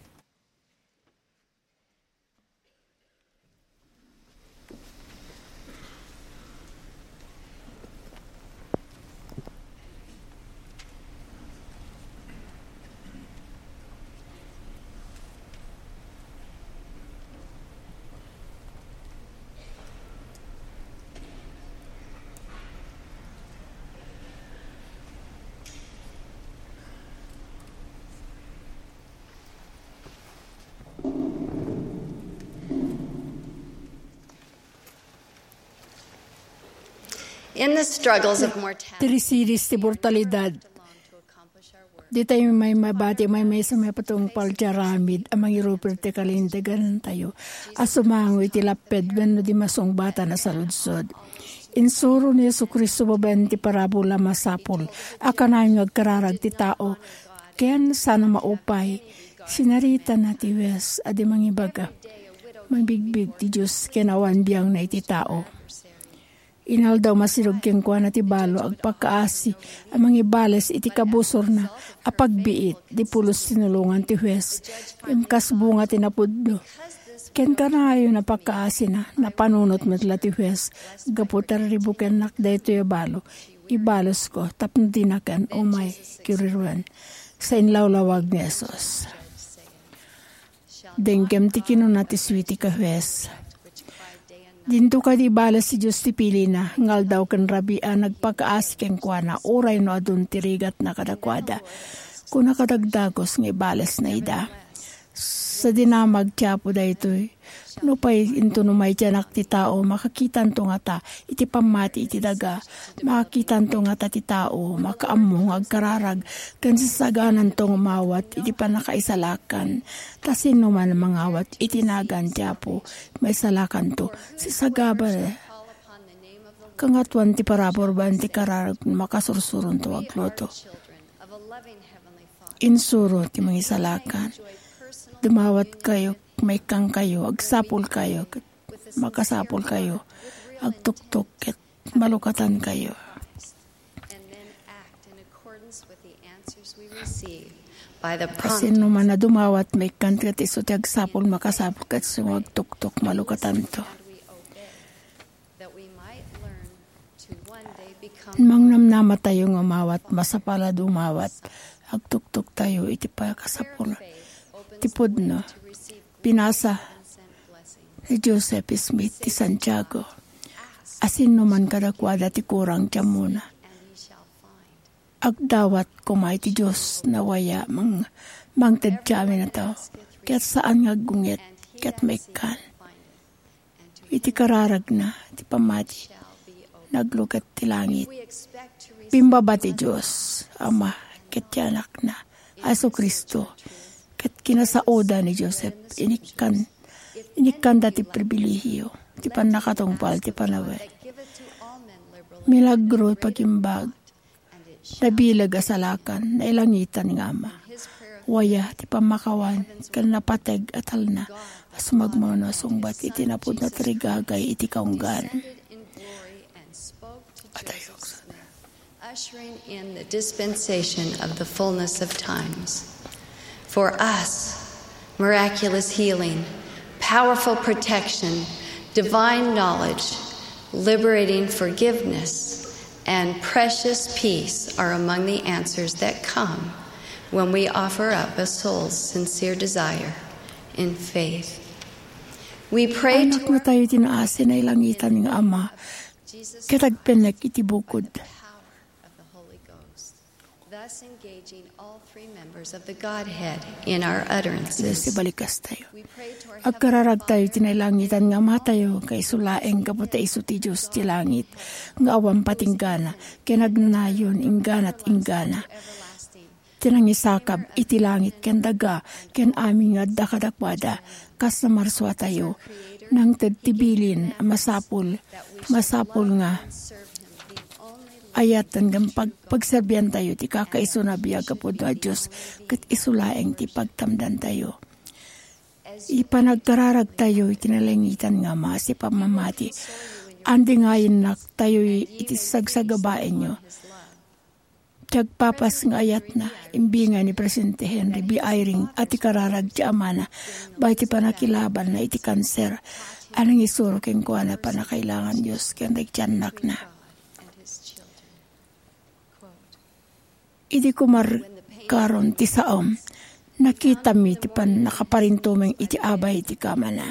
In the struggles of mortality, ti risidis ti mortalidad, ditayo may mabati, may maysa may patungpal ti aramid a mangiruper ti kalintegantayo a sumango iti lapped wenno di masungbatan a saludsod. Insuro ni Jesu-Cristo babaen ti parabola masapul a kanayon nga agkararag ti tao ken saan a maupay. Sinaritana ti hues a di mangibaga, "Mabigbig ti Dios ken awan biangna iti tao." Inaldaw masideg kenkuana ti balo agpakaasi a mangibales iti kabusorna a pagbiit. Di pulos tinulongan ti hues, ngem kas bunga ti napudno. Ken kanayon a pakaasina, napanunot met la ti hues, "Gapu ta riribukennak daytoy a balo, ibalosko tapno dinakan umay kiriruen." Sainlawlawag ni Jesus. Denggem ti kinuna ti suitik a hues. Dinto kadi ibales ti Dios ti pilina, nga aldaw ken rabii a nagpakaasi kenkuana, uray no adun ti rigatna kadakuada. Kuna kadagdagus nga ibalesna ida. Sa dinamag ti Apo daytoy, nupay inton umaydianak ti tao, makakitanto ngata iti pammati iti daga, makakitanto ngata ti tao, makaammo nga agkararag, ken sasagananto nga umawat iti pannakaisalakan. Ta sino man a mangawat iti nagan ti Apo, maisalakanto. Sisagaba, kangatoan ti parabur baen ti kararag, makasursuronto agluto. Insuro ti mangisalakan. Dumawatkayo, maikkankayo, agsapulkayo, ket makasapulkayo, agtuktok, ket malukatankayo. And then act in accordance with the answers we receive by the Kasino promptings man a dumawat, maikkan ket isu ti agsapul, makasapul, ket isu nga agtuktok, malukatanto. That we might learn to one day become Mangnamnamatayo nga umawat, masapul a dumawat, agtuktoktayo iti pakasapul ti pudno. Pinasa ni Joseph Smith ti Santiago. Asino man kadakuada ti kurang ti ammona. Agdawat koma iti Dios nga waya mang-, mangted ti amin a tao, ket saan nga aggunget, ket maikkan. Iti kararagna ti pammati, nagluket ti langit. Pimbaba ti Dios, Ama, ket ti Anakna, Jesu-Cristo, ket kinasaoda ni Joseph, inikkan, inikkanda ti pribilehio, ti pannakatungpal, ti panawen. Milagro, pagimbag, nabileg a salakan, nailangitan nga Ama. Waya ti pammakawan, ken napateg a talna, a sumagmamano a sungbat iti napudno ti rigagay iti kaunggan. Adayok sa Ushering in the dispensation of the fullness of times. For us, miraculous healing, powerful protection, divine knowledge, liberating forgiveness, and precious peace are among the answers that come when we offer up a soul's sincere desire in faith. We pray to Anaknatayo ti naasi, nailangitan nga Ama, ket agpennek iti bukod. Thus engaging all three members of the Godhead in our utterances. Sibalikas tayo. Agkararag tayo ti nailangitan nga Amatayo, ket isu laeng gapu ta isu ti Dios ti langit, nga awan patinggana, ken agnanayon, ingganat inggana. Ti nangisakab iti langit ken daga, ken amin nga adda kadakuada, kas namarsuatayo, nangted ti bilin a masapul, masapul nga ayat ken pag-, pagserbiantayo ti kakaisuna a biag a pudno a Dios, ket isu laeng ti pagtamdantayo. Ipanagkararagtayo iti nailangitan nga Ama, ti pammamati. Andingayennak tayo iti sagsagabaenyo. Ti agpapas nga ayatna, imbingay ni Presidente Henry B. Eyring a ti kararag ti amana, baet ti pannakilabanna iti kanser, a nangisuro kenkuana pannakailangan Dios ken dagiti annakna. Idi kumarkaron ti saom, nakitami ti pannakaparintumeng iti abay ti kamana.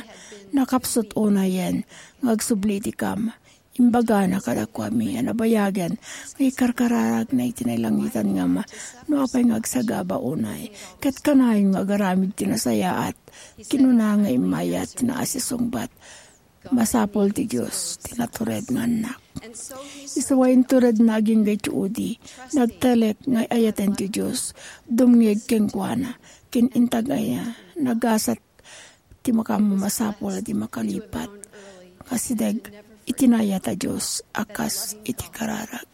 Nakapsut unayen nga agsubli iti kama. Imbagana kadakuami a nabayagen nga ikarkararagna iti nailangitan nga Ama no apay nga agsagaba unay, ket kanayon nga agaramid ti nasayaat. Kinuna nga immayat ti naasisungbat. Masapul ti Dios ti natured nga annak. Isu a inturedna agingga iti udi, nagtalek nga ay-ayaten ti Dios, dumngeg kenkuana, ken intag aya, nagasat ti makaammo masapul a di makalipat. Kasideg iti naayat a Dios a kas iti kararag.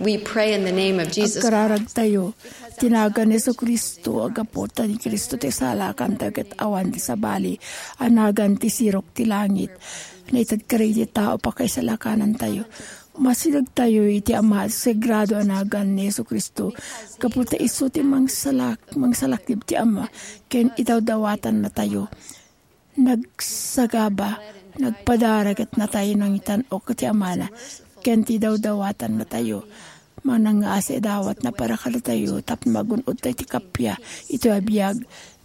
We pray in the name of Jesus Christ. Agkararagtayo, ti nagan ni Jesu-Cristo, a gapu ta ni Cristo ti salakanta ket awan ti sabali a nagan ti sirok ti langit. Naited kadagiti tao pakaisalakanantayo. Masidegtayo iti Ama a sagrado a nagan ni Jesu-Cristo, gapu ta isu ti mangsalak-, mangsalaknib ti Ama, ken idawdawatannatayo. Nagsagaba, nagpadara ket natay nangitan-ok ti Amana, ken ti dawdawatannatayo. Manangngaasi a dawatna para kadatayo tapno magun-odtayo ti kappia iti a biag,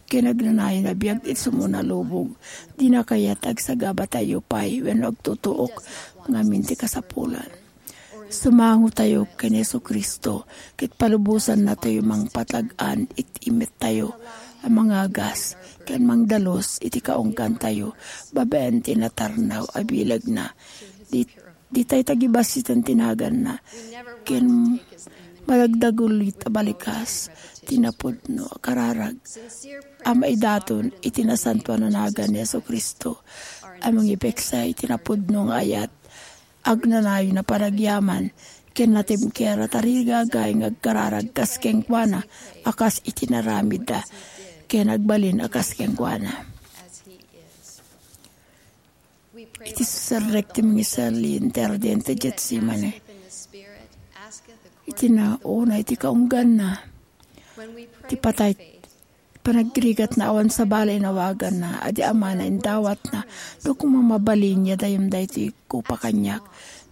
ken agnanayon a biag iti sumona a lubong. Dina kayat agsagabatayo pay wenno agtutuok ngamin ti kasapulan. Sumangotayo ken Jesu-Cristo, ket palubosannatayo mangpatag-an iti imettayo a mangagas ken mangdalus iti kaunggantayo babaen ti natarnaw a bilegna. Di-, ditay tagibasiten ti naganna, ken madagdagulit a balikas ti napudno a kararag a maidaton iti nasantoan a nagan ni Jesu-Cristo a mangipeksa iti napudno nga ayat, agnanayon a panagyaman, ken natimker a tarigagay nga agkararag kas kenkuana a kas iti naramidda, ken agbalin a kas kenkuana. Iti serrek ti mangisali inti ardente Getsemane, iti nauna iti kaungganna, ti patay, panagrigatna awan sabali inawaganna, a di amana indawatna, no koma mabalin, yadayem daytoy kopa kaniak,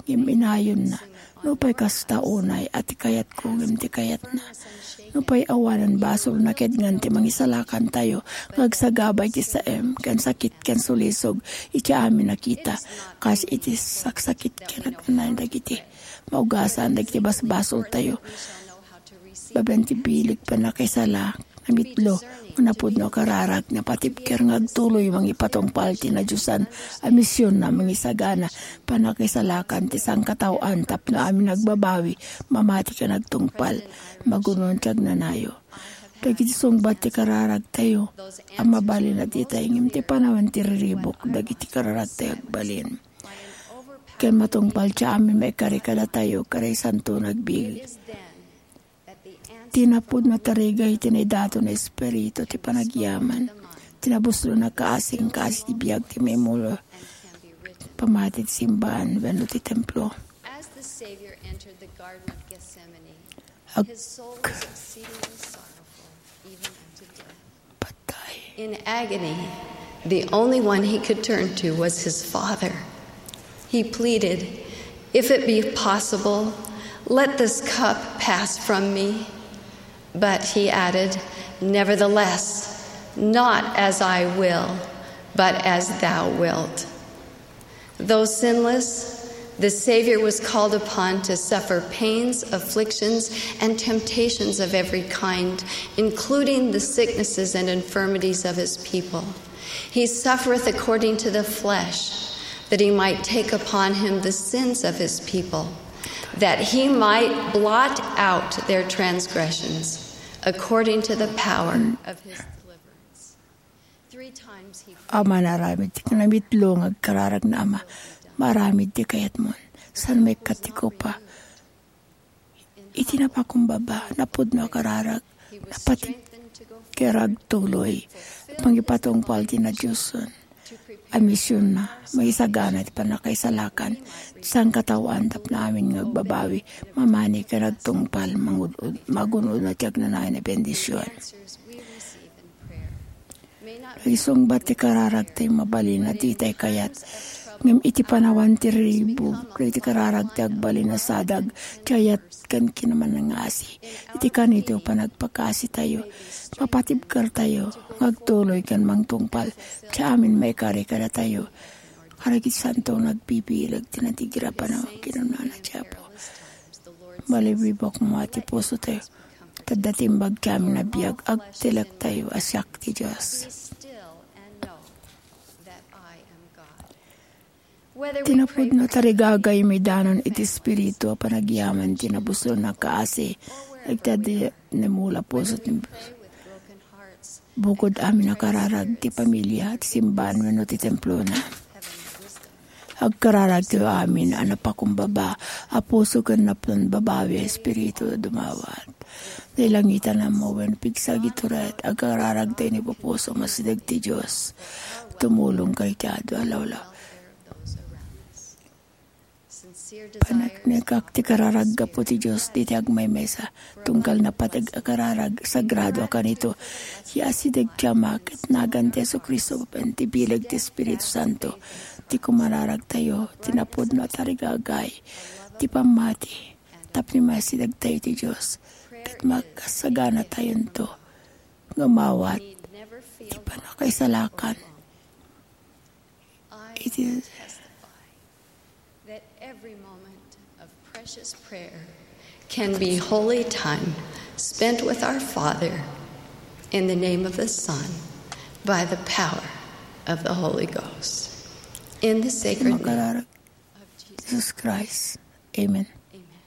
ngem inayonna. Nupay kasta, unay a ti kayatko ngem ti kayatna. Nupay awanen basolna, ket ngan ti mangisalakantayo nga agsagaba iti saem ken sakit ken sulisog iti amin a kita, kas iti saksakit ken agnanayon dagiti maugasan dagiti basbasoltayo. Babaen ti bileg pannakaisala, namitlo, nga napudno a kararag, napatibker nga agtuloy mangipatungpal ti nadiosan a misionna, mangisagana pannakaisalakan ti sangkataoan tapno amin agbabawi, mamati ken agtungpal, magun-on ti agnanayo. Dagiti sungbat ti kararagtayo a mabalin a ditay ngem ti panawen ti riribuk dagiti kararagtayo agbalin. Ken matungpal ti amin maikari kadatayo, karay santo nga agbiag. Ti napudno a tarigagay ti naidaton a espiritu ti panagyaman, ti nabuslon a kaasi ken kaasi ti biag ti maimulo, pamati ti simbahan wenno ti templo. As the Savior entered the Garden of Gethsemane, his soul was exceedingly sorrowful, even unto death. Patay. In agony, the only one he could turn to was his Father. He pleaded, "If it be possible, let this cup pass from me." But he added, "Nevertheless, not as I will, but as thou wilt." Though sinless, the Savior was called upon to suffer pains, afflictions, and temptations of every kind, including the sicknesses and infirmities of his people. "He suffereth according to the flesh, that he might take upon him the sins of his people, that he might blot out their transgressions, according to the power of his deliverance." Three times he prayed. Ama, aramid ti kanamitlo nga agkararag nga Ama, maaramid ti kayatmon. Saan maikkat ti kopa? Iti napakumbaba, napudno a kararag, napatibker nga agtuloy, mangipatungpal ti nadiosan a misionna, mangisagana ti pannakaisalakan ti sangkataoan tapno amin nga agbabawi, mamati ken agtungpal, mangun-, magun-una ti agnanayon a bendision. Dagiti sungbat ti kararagtayo mabalin a ditay kayat, ngem iti panawen ti riribuk, dagiti kararagtayo agbalin a sadag ti ayat ken kinamangasi. Iti kanito panagpakasitayo, mapatibkertayo nga agtuloy ken mangtungpal ti amin maikari kadatayo. Kadagiti santo nga agbibileg ti natigrapanaw kinunana ti Apo. Malibibok mo ti pusotayo. Tadda ti imbag ti amin a biag, agtilektayo a siak ti Dios. Ti napudno a tarigagay maidanon iti espiritu a panagyaman ti nabuslon a kaasi, agtadi ni mula puso ti bukod amin a kararag ti pamilia, ti simbahan wenno ti templona. Agkararagtayo amin a napakumbaba a puso ken napnon babawi a espiritu dumawat. Nailangitan a mawen pigsagituret, agkararagtayo ni pupuso nga sideg ti Dios. Tumulong kay ti adu a lawlaw. Panagtengngegak ti kararag gapu ti Dios diti agmaymaysa, tunggal napateg a kararag, sagrado a kanito, ya asideg ti Ama ket nagan ti Jesu-Cristo babaen ti bileg ti Espiritu Santo, ti kumararagtayo, ti napudno a tarigagay, ti pammati, tapno maisidegtayo ti Dios, ket makasaganatayonto nga umawat Ti pannakaisalakan. I testify that every moment of precious prayer can be holy time spent with our Father in the name of the Son by the power of the Holy Ghost. In the sacred name of Jesus Christ. Amen. Amen.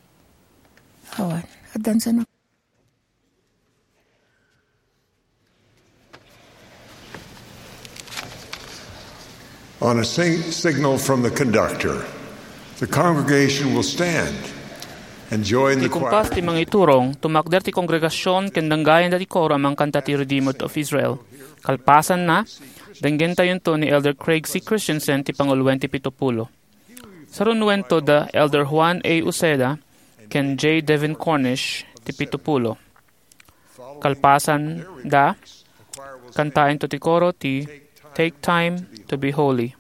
Awan. Addan sa na- On a sing- signal from the conductor, the congregation will stand and join the choir. Ti kumpas ti mangiturong, tumakder ti kongregasion ken denggayan dati koro a mangkanta ti Redeemer of Israel. Kalpasanna, denggentayonto ni Elder Craig C. Christensen ti panguloen ti pitupulo. Sarunuento da Elder Juan A. Uceda ken J. Devin Cornish ti pitupulo. Kalpasan da, kantaento ti koro ti Take Time to Be Holy.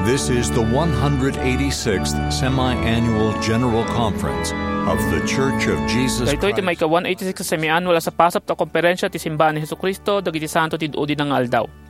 This is the one hundred eighty-sixth Semi-Annual General Conference of The Church of Jesus Christ. Daytoy ti maika-one eighty-six a semi-annual a sapasap ta konferensia ti Simbaan ni Jesu-Cristo dagiti Santo ti Udi nga Aldaw.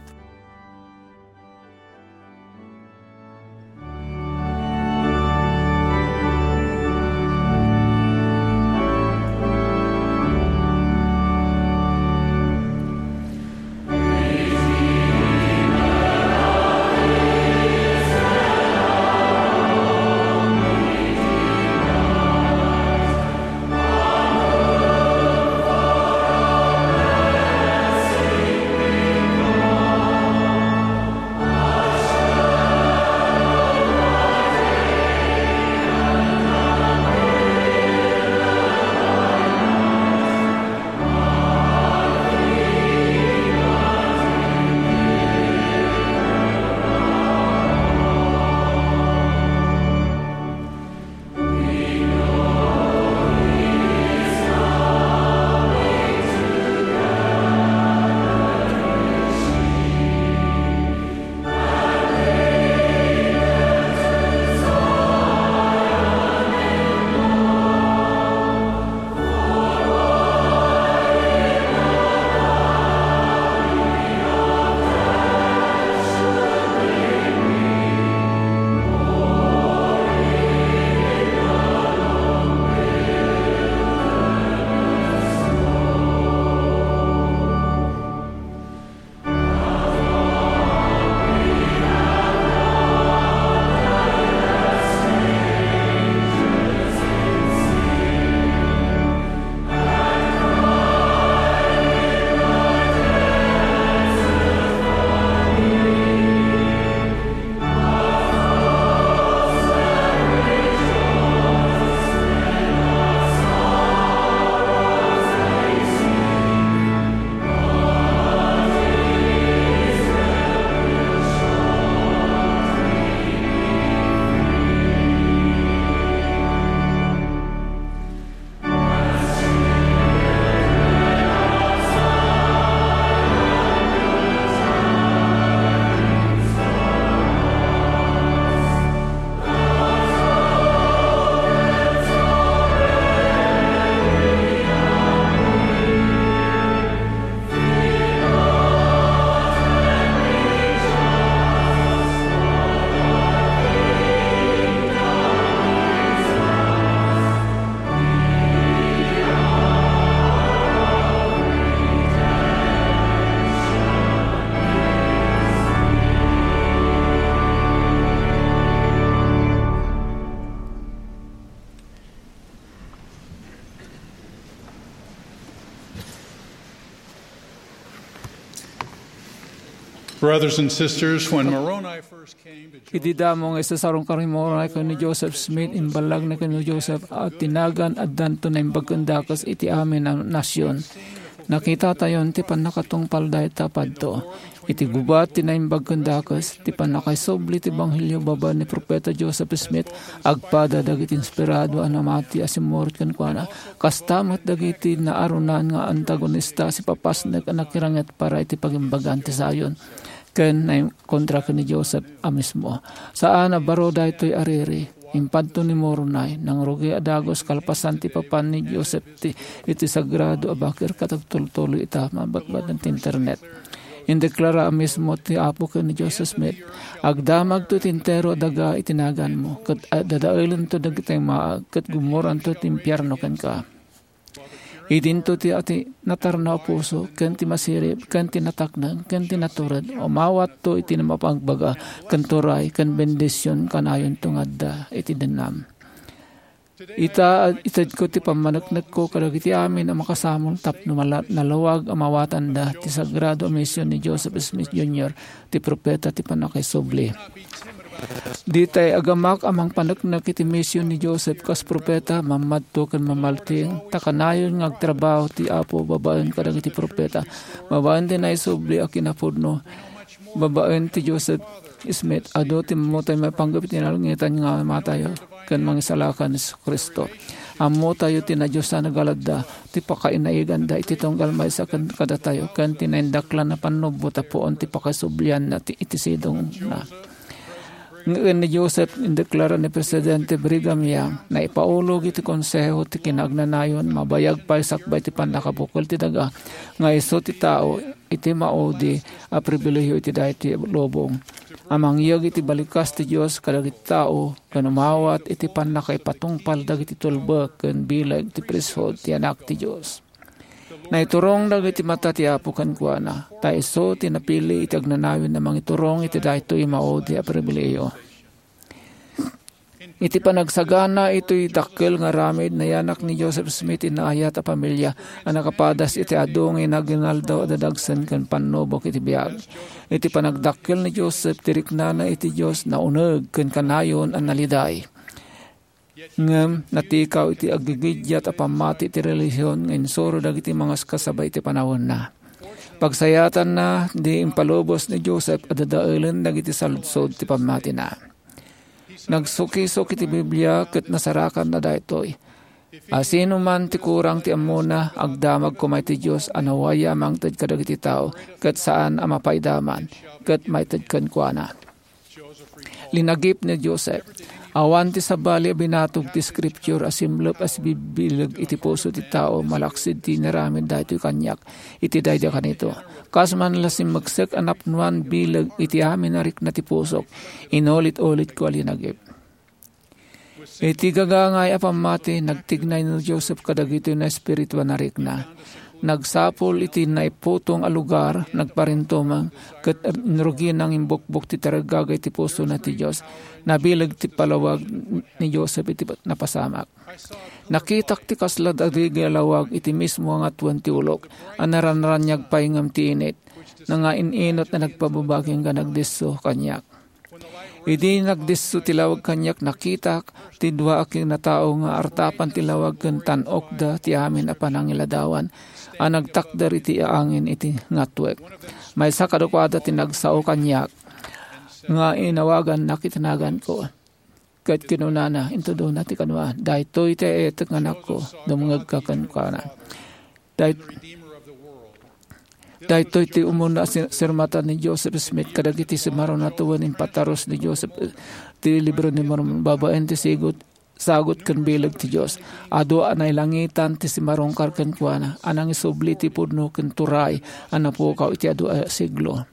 Brothers and sisters, when Moroni first came to Idi damo nga isasarungkar ni Moroni ken ni Joseph Smith, imballagna ken ni Joseph a ti nagan addanto naimbag ken dakes iti amin a nasion. Nakitatayon ti pannakatungpal dayta padto. Iti gubat ti naimbag ken dakes, ti pannakaisubli ti ebanghelio babaen ni Profeta Joseph Smith, agpada dagiti inspirado a namati a simmurot kenkuana. Kasta met dagiti naarunan nga antagonista a sipapasnek a nakiranget para iti pagimbagan ti Zion. ken naikontra ken ni Joseph a mismo. Saan a baro daytoy a riri. Impadto ni Moroni, nangrugi a dagus kalpasan ti papan ni Joseph ti, iti sagrado a bakir ket agtultuloy ita mabatbat ti internet. Indeklara a mismo ti Apo ken ni Joseph Smith, "Agdamagto ti entero a daga iti naganmo, ket dadaelento dagiti maag, ket gummoranto ti impierno kenka." Idinto ti ati natarnaw a puso, ken ti masirib, ken ti nataknang, ken ti natured. Umawatto iti mapagbaga, ken turay, ken bendision kanayonto nga adda iti dennam. Ita, itedko ti pammaneknekko kadagiti amin a makasamol tapno mala-, nalawag a mawatanda ti sagrado a mision ni Joseph Smith Junior, ti propeta ti pannakaisubli. Ditay agamak a mangpaneknek iti mision ni Joseph kas propeta, mammadto ken mamalting, ta kanayon nga agtrabaho ti Apo babaen kadagiti propeta, babaen ti naisubli a kinapudno, babaen ti Joseph Smith, adu ti ammotay maipanggep iti nalangitan nga Amayo ken Mangisalakan Jesu-Cristo. Ammotayo ti nadiosan a galadda, ti pakainaiganda iti tunggal maysa ken kadatayo, ken ti naindaklan a pannubot a puon ti pakasublianna ti iti sidongna. Ngem ni Joseph, indeklara ni Presidente Brigham Young, naipaulog iti konseho ti kinaagnanayon, mabayag pay sakbay ti pannakabukel ti daga, nga isu ti tao iti maudi a pribilehiyo iti daytoy a lubong, a mangyeg iti balikas ti Dios kadagiti tao, ken umawat iti pannakaipatungpal dagiti tulbek ken bileg ti priesthood ti Anak ti Dios. Naiturong dagiti mata ti Apo kenkuana, ta isu ti napili iti agnanayon a mangiturong iti daytoy maudi a pribilehiyo. Iti panagsagana itoy dakkel nga aramid, nayanak ni Joseph Smith ti naayat a pamilia a nakapadas iti adu nga inaginaldo a dadagsen ken pannubok iti biag. Iti panagdakkel ni Joseph ti riknana iti Dios, nauneg ken kanayon a naliday. Ngem natikaw iti aggigiddiat a pammati ti relihiyon nga insuro dagiti mangaskasaba iti panawenna. Pagsayaatanna, di impalubos ni Joseph a dadaelen dagiti saludsod ti pammatina. Nagsukisok iti Biblia ket nasarakanna daytoy. Asino man ti kurang ti ammona, agdamag koma iti Dios a nawaya a mangted kadagiti tao, ket saan a mapaidaman, ket maited kenkuana. Linagip ni Joseph. Awan ti sabali a binatog ti Scripture a simlep a sibibileg iti puso ti tao malaksid ti inaramid daytoy kaniak iti daydi a kanito. Kas man la simmeksek a napnoan bileg iti amin a rikna ti pusok, inulit-ulitko a linagip. Iti gagangay a pammati, nagtignay ni Joseph kadagitoy naespirituan a rikna. Nagsapul iti naiputong a lugar, nagparintumeng, ket inrugina nga imbukbok ti tarigagay ti pusona ti Dios. Nabileg ti palawag ni Joseph iti napasamak. Nakitak ti kasla dagiti lawag iti mismo nga atuen ti ulok, a naranraniag pay ngem ti init, nga in-inot a nagpababaging nga nagdisso kaniak. Idi nagdisso ti lawag kaniak, nakitak ti dua a kinatao nga artapan ti lawag ken tan-okda ti amin a panangiladawan a nagtakder iti angin iti ngatuek. Maysa kadakuada ti nagsao kaniak nga inawagannak iti naganko. Ket kinunana, intudona ti kanoa, "Daytoy ti aetek nga anakko, dumngegka kenkuana." Day-, daytoy ti umuna a sir-, sirmatan ni Joseph Smith kadagiti simarona wen impatarus ni Joseph, eh, ti Libro ni Mormon babaen ti sigut, sagut ken bileg ti Dios. Adu a nailangitan ti simarungkar kenkuana, a nangisubli ti pudno ken turay a napukaw iti adu a siglo.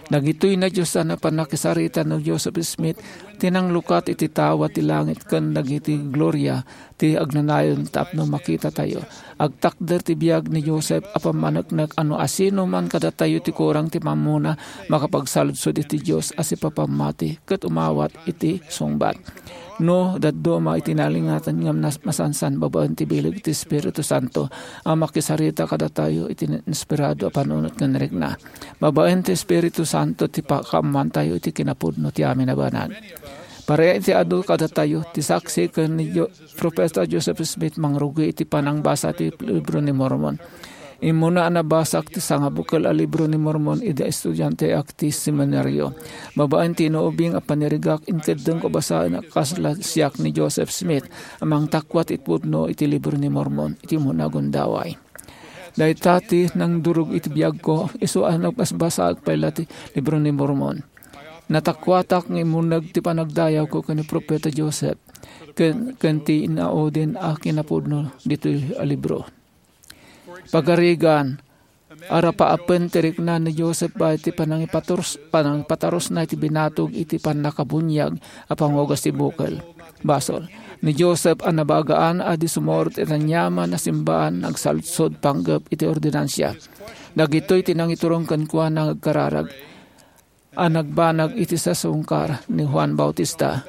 Dagitoy nadiosan a pannakisarita ni Joseph Smith ti nanglukat iti tawa ti langit ken dagiti gloria ti agnanayon tapno makitatayo. Agtakder ti biag ni Joseph a pammaneknek a no asino man kadatayo ti kurang ti mammona, makapagsaludsod iti Dios a sipapammati ket umawat iti sungbat. No, dadduma iti nalingatan ngem nas-, masansan babaen ti bileg ti Espiritu Santo a makisarita kadatayo iti inspirado a panunot ken rikna. Babaen ti Espiritu Santo ti pakaammoantayo iti kinapudno ti amin a banag. Para iti adu kadatayo, ti saksi ken ni Jo-, Profeta Joseph Smith mangrugi iti panangbasa ti Libro ni Mormon. Immuna a nabasak ti sangabukel a Libro ni Mormon idi estudianteak ti seminario. Babaen ti inuubing a panirigak, inkeddengko a basaen a kasla siak ni Joseph Smith a mangtakwat iti pudno iti Libro ni Mormon iti umuna a gundaway. Dayta ti nangdurog iti biagko, isu a nabasbasaek pay la ti Libro ni Mormon. Natakuatak nga immurneg ti panagdayawko ken ni Profeta Joseph, ken, ken ti inauden a kinapudno ditoy a libro. Pagarigan, arapaapen ti rikna ni Joseph baet ti panangipaturs-, panangipatarusna iti binatog iti pannakabuniag a pangugas ti bukel. Basol. Ni Joseph a nabagaan a di sumurot iti aniaman a simbaan, nagsalsod panggep iti ordinansia. Dagitoy ti nangiturong kenkuana nga agkararag a nagbanag iti sasungkar ni Juan Bautista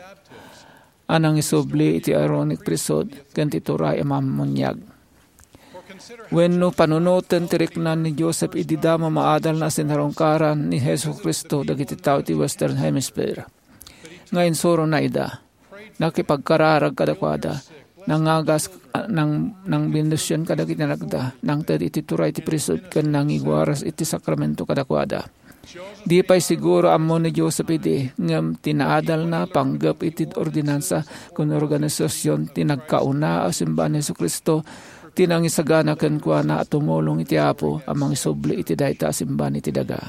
a nangisubli iti Aaronic priesthood ken ti turay a mammuniag. Wenno panunoten ti rikna ni Joseph idi damo maadal a sinarungkaran ni Jesu-Cristo dagiti tao iti Western Hemisphere. Nga insurona ida, nakipagkararag kadakuada, nangagas, nang, nangbendision kadagiti anakda, nangted iti turay ti priesthood ken nangiwaras iti sakramento kadakuada. Di pay siguro ammo ni Joseph idi, ngem ti naadalna panggep iti ordinansa ken organisasion ti nagkauna a simbaan ni Jesu-Cristo ti nangisagana kenkuana a tumulong iti Apo a mangisubli iti dayta a simbaan iti daga.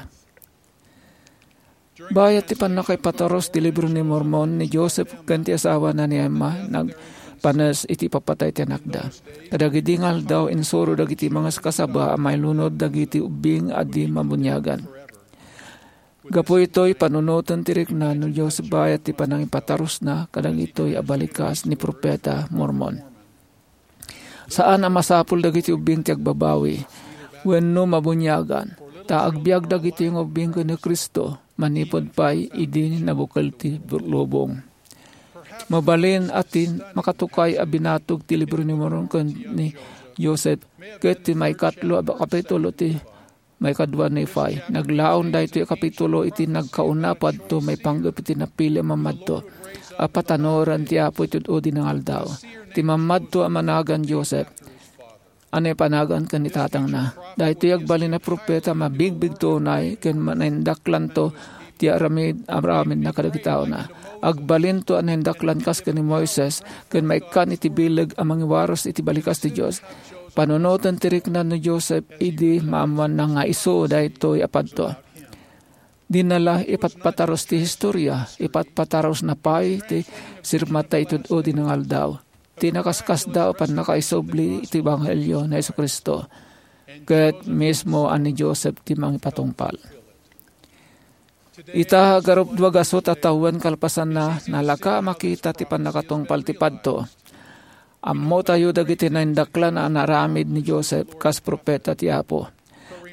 Bayat ti pannakaipatarus ti Libro ni Mormon, ni Joseph ken ti asawana ni Emma nagpanes iti ipapatay ti anakda. Kadagidi nga aldaw, insuro dagiti mangaskasaba a mailunod dagiti ubbing a di mabuniagan. Gapu itoy, panunoten ti rikna ni Joseph bayat ti panangipatarusna kadagitoy a balikas ni Profeta Mormon. Saan a masapul dagiti ubbing ti agbabawi wenno mabuniagan, ta agbiag dagiti nga ubbing ken ni Cristo manipud pay idi nabukel ti lubong. Mabalin a ti makatukay a binatog ti Libro ni Mormon ken ni Joseph ket ti maikatlo a kapitulo ti maikadua Nephi. Naglaon daytoy a kapitulo iti nagkauna padto maipanggep iti napili a mammadto a patanoran ti Apo iti ud-udi nga aldaw. Ti mammadto a managan Joseph a naipanagan ken ni tatangna. Daytoy agbalin a profeta, mabigbigto unay ken ma-, naindaklanto ti aramid, aramidna kadagiti taona. Agbalinto a naindaklan kas ken ni Moises ken maikkan iti bileg a mangiwaras iti balikas ti Dios. Panunoten ti rikna ni Joseph idi maammoanna nga isu daytoy a padto. Dina la ipatpatarus ti historia, ipatpatarusna pay ti sirmata iti ud-udi nga aldaw. Ti nakaskasdaaw a pannakaisubli iti ebanghelio ni Jesu-Cristo, ket mismo a ni Joseph ti mangipatungpal. Ita, agarupdua gasut a tawen kalpasanna, nalaka a makita ti pannakatungpal ti padto. Ammotayo dagiti naindaklan a naaramid ni Joseph kas profeta ti Apo.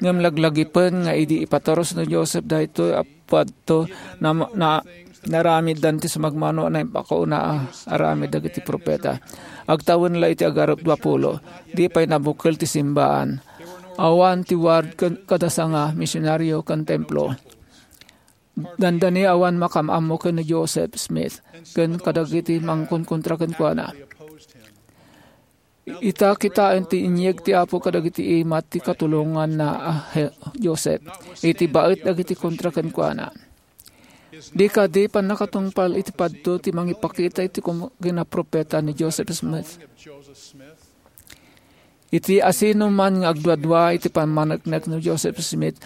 Ngem laglagipen nga idi ipaturus ni Joseph daytoy a padto, na, na, naaramiddan ti sumagmamano a naimpakauna a aramid dagiti profeta. Agtawen la iti agarupdua pulo, di pay nabukel ti simbaan. Awan ti ward ken kada sanga, misionario ken templo. Dandani awan makaam-ammo ken ni Joseph Smith ken kadagiti mangkonkontra kenkuana. Ita, kitaen ti inyeg ti Apo kadagiti imat ti katulonganna a he-, Joseph iti baet dagiti kontra kenkuana. Di kadi pannakatungpal iti padto ti mangipakita iti kum-, kinaprofeta ni Joseph Smith. Iti asino man nga agduadua iti pammaneknek ni Joseph Smith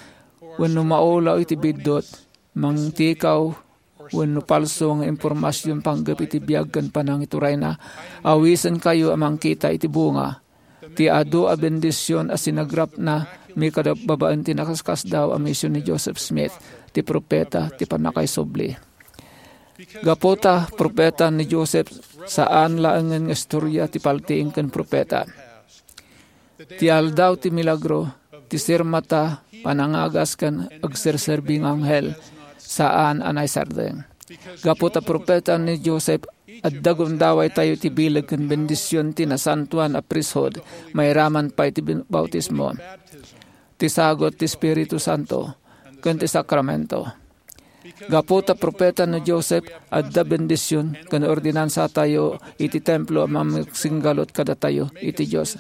wenno maulaw iti biddut, mangtikaw wenno palso nga impormasion panggep iti biag ken panangiturayna, awisenkayo a mangkita iti bunga ti adu a bendision a sinagrapna mikadap babaen ti nakaskasdaaw a mision ni Joseph Smith, ti profeta ti pannakaisubli. Gapu ta profeta ni Joseph, saan laengen nga istoria ti paltiing ken profeta. Ti aldaw ti milagro, ti sirmata, panangagas ken agserserbi nga anghel, saan a naisardeng. Gapu ta profeta ni Joseph, adda gundawaytayo ti bileg ken bendision ti nasantoan a priesthood, mairaman pay ti bin-, bautismo, ti sagut ti Espiritu Santo, ken ti sakramento. Gapu ta profeta ni Joseph, adda bendision ken ordinansatayo iti templo a mamagsinggalut kadatayo iti Dios.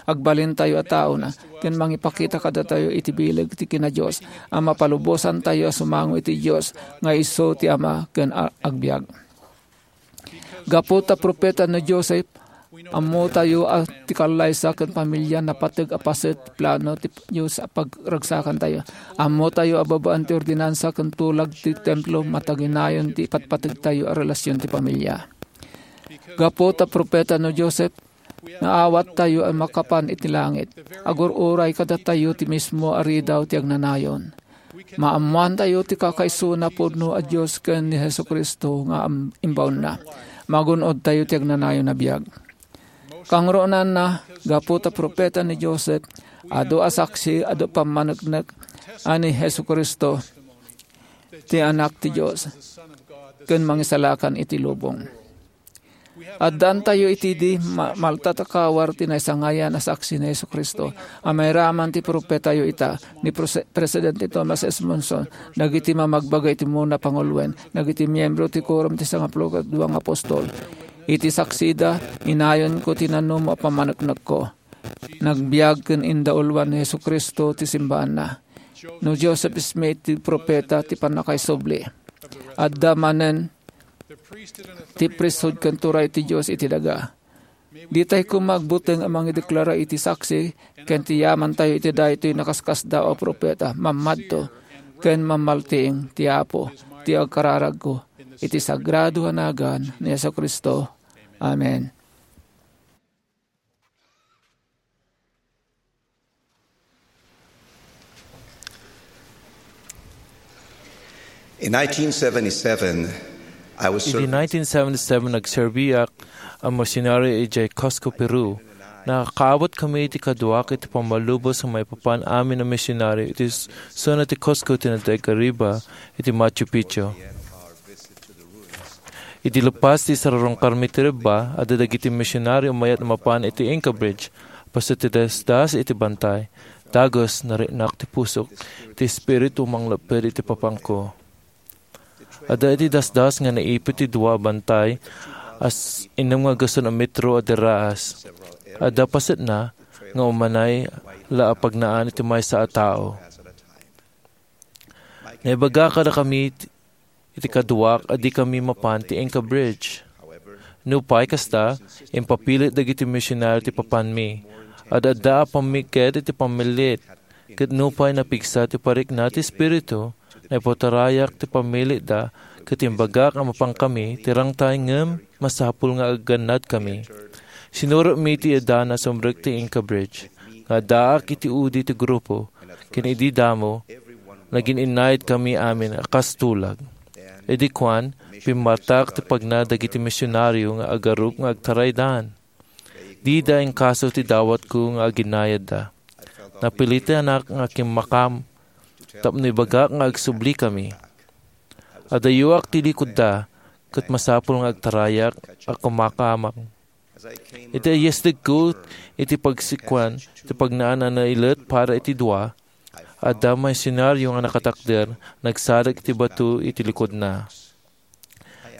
Agbalintayo a taona ken mangipakita kadatayo iti bileg ti kina-Dios a mapalubosantayo a sumango iti Dios nga isu ti Ama ken a-, agbiag. Gapu ta profeta ni Joseph, Ammotayo a ti kallaysa ken pamilia napateg a paset ti plano ti Dios a pagragsakantayo. Ammotayo a babaen ti ordinansa ken tulag ti templo, mataginayon ti ipatpategtayo a relasion ti pamilia. Gapu ta profeta no Joseph, naawattayo a makapan iti langit. Agur-uray kadatayo ti mismo a ridaw ti agnanayon. Maammoantayo ti kakaisuna pudno a Dios ken ni Jesu-Cristo nga am-, imbaonna. Magun-odtayo ti agnanayon a biag. Kangrunanna, gapu ta profeta ni Joseph, adu a saksi, adu pammaneknek a ni Jesu-Cristo ti Anak ti Dios ken Mangisalakan iti lubong. Addantayo iti di ma-, maltatakawar ti naisangayan a saksi ni Jesu-Cristo a mairaman ti profetayo ita, ni Prose-, Presidente Thomas S. Monson, dagiti mamagbaga iti umuna panguloen, dagiti miembro ti Quorum ti Sangapulo ket Dua nga Apostol. Iti saksida, inayonko ti nanumo a pammaneknekko. Nagbiag ken indauluan ni Jesu-Cristo ti simbaanna. No Joseph Smith ti profeta ti pannakaisubli. Adda manen ti priesthood ken turay ti Dios iti daga. Ditay koma agbuteng a mangideklara iti saksi ken ti yamantayo iti daytoy nakaskasdaaw a profeta, mammadto ken mammaltiing ti Apo ti agkararagko iti sagrado a nagan ni Jesu-Cristo. Amen. In nineteen seventy-seven, I was Idi serving nineteen seventy-seven, nagserbiak a misionaryo idiay Cusco, Peru. Nakakaawat kami iti kaduak iti pammalubos nga maipapan amin a misionaryo iti s-, zona ti Cusco ti Nadaiga Riba iti Machu Picchu. Idi lepas ti Sararong Karmi ti Riba, adda dagiti misionaryo a mayat a mapan iti Inca Bridge. Paset ti dasdas iti bantay. Dagus, nariknak ti pusok, ti espiritu manglepped iti papangko. Adda iti dasdas nga naipit ti dua a bantay a s-, innem nga aggasun a metro a diraas. Adda pasetna nga umanay la a pagnaan iti maysa a tao. Naibaga kadakami iti kaduak a dikami mapan ti Inca Bridge. Nupay kasta, impapilit dagiti misionaryo ti papanmi. Ad-adda a pammikked iti pammilit, ket nupay napigsa ti parikna ti Espiritu, naipaturayak ti pammilitda, ket imbagak a mapankami ti rangtay ngem masapul nga aggannadkami. Sinurotmi ti idana a sumrek ti Inca Bridge, nga addaak iti udi ti grupo, ken idi damo, nagin-innayat kami amin a kas tulag. Idi kuan, pimmartak ti pagna dagiti misionaryo nga agarup nga agtaraydan. Dida inkaso ti dawatko nga aginayadda. Napilitanak nga kimmakam tapno ibagak nga agsubli kami. Adayoak ti likodda, ket masapul nga agtarayak a kumakamak. Iti ayestegko iti pagsikuan ti pagnaan a nailet para iti dua, adda misionaryo nga nakatakder, nagsadag iti bato iti likodna.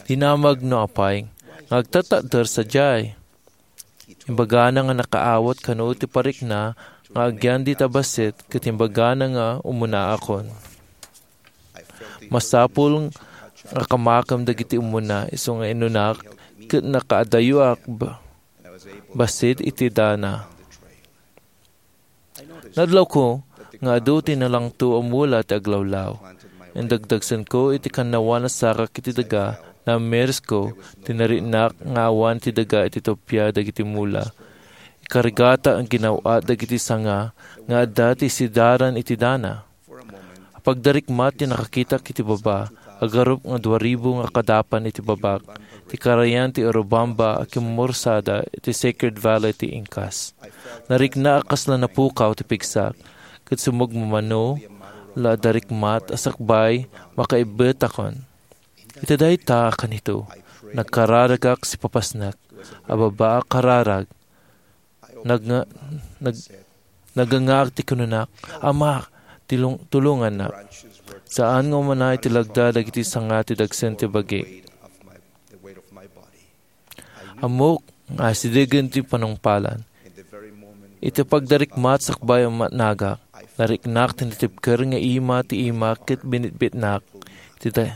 Dinamag no apay nga agtatakder sadiay. Imbagana nga nakaawat kano ti parikna nga agyan dita bassit ket imbagana nga umunaakon. Masapul nga kamakem dagiti umuna isu nga inunak ket nakaadayoak ba-, bassit iti dana. Nadlawko nga adu ti nalangto a mula ti aglawlaw. Indagdagsenko iti kannawan a sarak iti daga, naamirisko ti nariknak nga awan ti daga iti tupia dagiti mula. Ikarigata nga ginaw-at dagiti sanga nga adda ti sidaran iti dana. Pagdarikmat ti nakakitak iti baba, agarup nga dua ribu nga kadapan iti babak, ti karayan ti Urubamba a kimmursada iti Sacred Valley ti Incas. Nariknak a kasla napukaw ti pigsak, ket sumagmamano la a darikmat a sakbay makaibbetakon. Iti dayta a kanito, nagkararagak sipapasnek a baba a kararag. Nagnga-, nag-, nagangaak ti kinunak, "Ama, tilong-, tulongannak." Saan nga umuna iti lagda dagiti sanga ti dagsen ti bagi. Ammok nga asidegen ti panungpalan. Iti pagdarikmat sakbay a matnagak, nariknak ti natibker nga ima ti imak ket binitbitnak. Iti day-,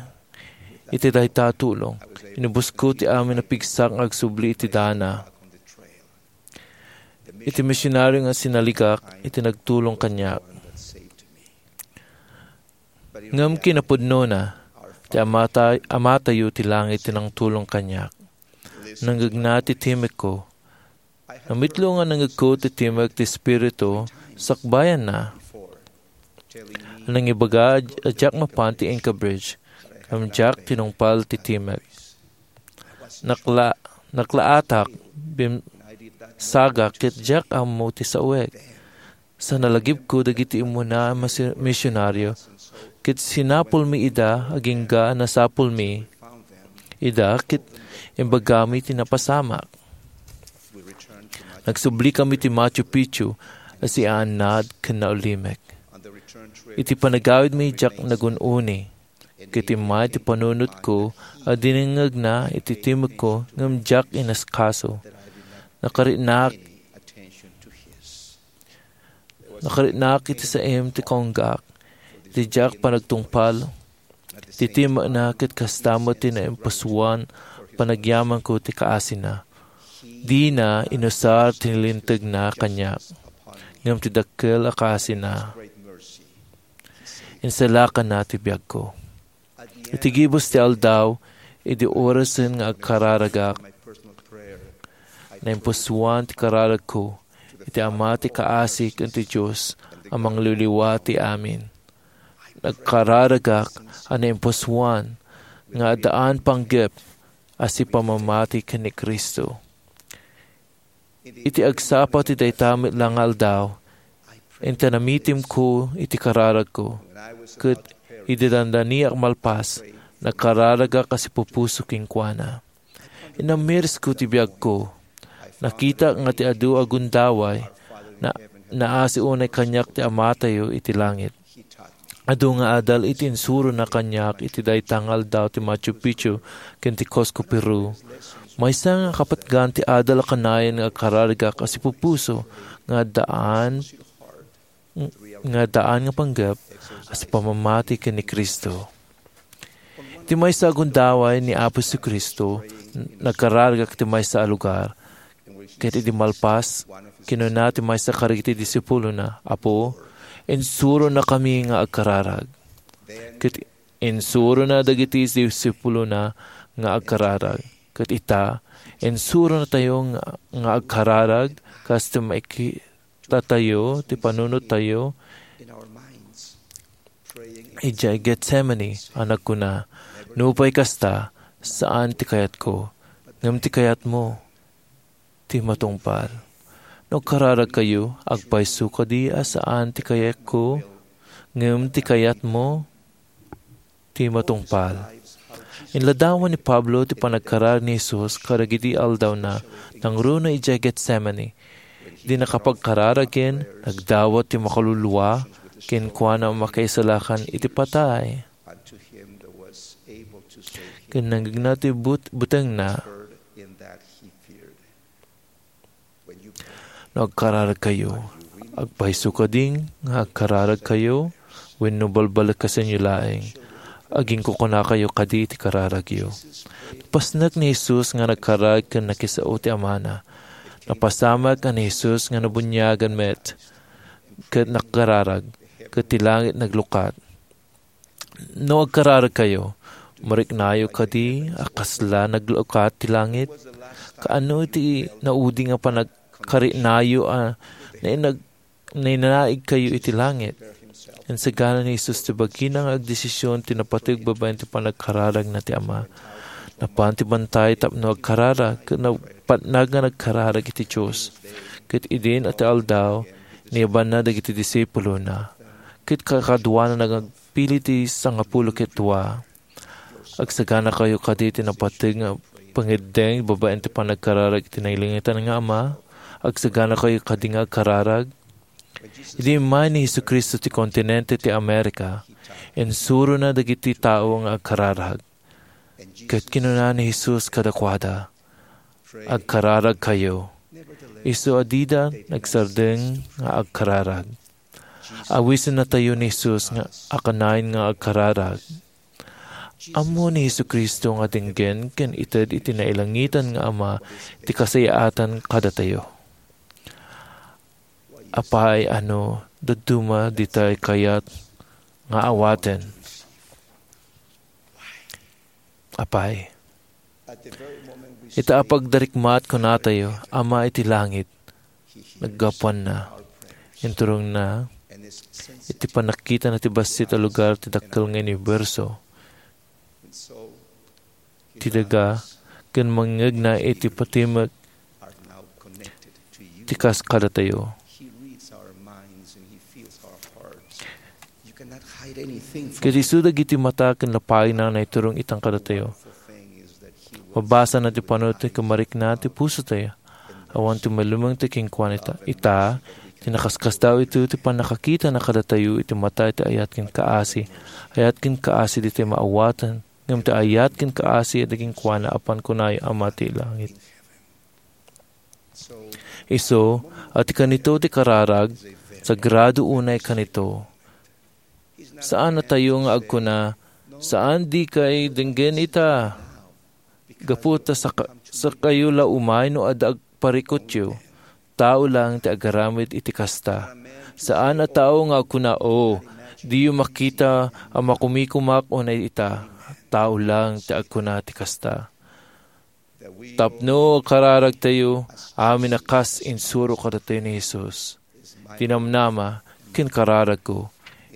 iti dayta a tulong, inubosko ti amin a pigsak nga agsubli iti dana. iti misionario nga sinaligak iti nagtulong kaniak. Ngem kinapudnona, ti Amata-, Amatayo ti langit ti nangtulong kaniak. Nangngegna ti timekko. Namitlo nga nangngegko ti timek ti Espiritu, sakbayanna. Nangibaga a diak mapan ti Inca Bridge, ngem diak tinungpal ti timek. Nakla-, naklaatak, bimsagak, ket diak ammo ti saoek. Sa nalagipko dagiti immuna a masi-, misionario, ket sinapulmi ida, agingga nasapulmi ida, ket imbagami ti napasamak. Nagsubli kami ti Machu Picchu a siaannad ken naulimek. Iti panagawidmi, diak nagun-uni. Ket immay ti panunotko a dinengngegna iti timekko ngem diak inasikaso. Nakaritnak, nakaritnak iti saem ti kaunggaak, iti diak panagtungpal. Ti timekna ket kasta met ti naimpusuan panagyamanko ti kaasina. Dina inusar ti lintegna kaniak, ngem ti dakkel a kaasina. Insalakanna ti biagko. Iti gibus ti aldaw, idi orasen nga agkararagak, naimpusuan ti kararagko iti Ama ti kaasi ken ti Dios a mangliwliwa ti amin. Nagkararagak a naimpusuan nga addaan panggep a sipamamati ken ni Cristo. Iti agsapa ti dayta met la nga aldaw, inta namitimko iti kararagko, ket idi dandaniak malpas, nagkararagak a sipupuso kenkuana. Inammirsko ti biagko. Nakitak nga ti adu a gundaway, na-, naasi unay kaniak ti Amatayo iti langit. Adu nga adal iti insurona kaniak iti dayta nga aldaw ti Machu Picchu ken ti Cusco, Peru. Maysa nga kapatgan ti adal a kanayon nga agkararagak a sipupuso nga addaan, nga addaan nga panggep a sipamamati ken ni Cristo. Iti maysa a gundaway ni Apo Jesu-Cristo, nagkararagak iti maysa a lugar, ket idi malpas, kinuna ti maysa kadagiti disipulona, "Apo, insuronakami nga agkararag." Ket insurona dagiti disipulona nga agkararag. Ket ita, insuronatayo nga, nga agkararag kas ti maikitatayo ti panunottayo idiay Getsemani a nagkuna, "Nupay kasta, saan ti kayatko, ngem ti kayatmo ti matungpal." No agkararagkayo, agpayso kadi a saan ti kayatko, ngem ti kayatmo ti matungpal. Inladawan ni Pablo ti panagkararag ni Jesus kadagiti aldawna nangruna idiay Getsemani. Idi nakapagkararagen, nagdawat ti makaluluwa kenkuana a makaisalakan iti patay. Ken nangngegna ti but-, butengna. No agkararagkayo, agpayso kadi nga agkararagkayo, wenno balbalakasenyo laeng, agingkukunakayo kadi ti kararagyo. Napasnek ni Jesus nga nagkararag ken nakisao ti Amana. Napasamak a ni Jesus nga nabuniagan met ket nagkararag, ket ti langit naglukat. No agkararagkayo, mariknayo kadi a kasla naglukat ti langit? Kaano iti naudi nga panagkariknayo a nainag-, nainaigkayo iti langit? Insagana ni Jesus ti bagina nga agdesisyon ti napateg babaen ti panagkararagna ti Ama. Napan ti bantay tapno agkararag, ket napatnag nga nagkararag iti Dios. Ket idin a ti aldaw, niyabanna dagiti disipulona, ket kakaduana nga agpili ti sangapulo ket dua. Agsaganakayo kadi ti napateg nga pangiddeng babaen ti panagkararag iti nailangitan nga Ama? Agsaganakayo kadi nga agkararag? Idi immay ni Jesu-Cristo ti kontinente ti Amerika, insurona dagiti tao nga agkararag. Ket kinuna ni Jesus kadakuada, "Agkararagkayo." Isu a dida nagsardeng nga agkararag. Awisennatayo ni Jesus nga a kanayon nga agkararag. Ammo ni Jesu-Cristo nga denggen ken ited iti nailangitan nga Ama ti kasayaatan kadatayo. Apay, ano, dadduma ditay kayat nga awaten? Apay, ita a pagdarikmat kunatayo, Ama iti langit, naggapuanna, inturongna iti pannakitana ti bassit a lugar ti dakkel nga uniberso, ti daga, ken mangngegna iti patimek ti kas kadatayo. Ket isu dagiti mata ken lapayna naiturong itan kadatayo. Mabasana ti panunot ti kamarikna ti pusotayo. Awan ti malumeng ti kenkuana ita. Ita, ti nakaskasdaaw iti pannakakitana kadatayo iti mata ti ayat ken kaasi. Ayat ken kaasi ditoy maawaten, ngem ti ayat ken kaasi a di kenkuana a pankunayo Ama ti langit. Isu, a ti kanito ti kararag, sagrado unay kanito. Saan a tayo nga agkuna, "Saan, dikay denggen ita." Gapu ta saka-, sakayo la umay no adda agparikutyo. Tao lang ti agaramid iti kasta. Saan a tao nga agkuna, "O, diyo makita a makumikumak unay ita." Tao lang ti agkuna ti kasta. Tapno kararagtayo amin a kas insuro kadatayo ni Jesus, ti namnama ken kararagko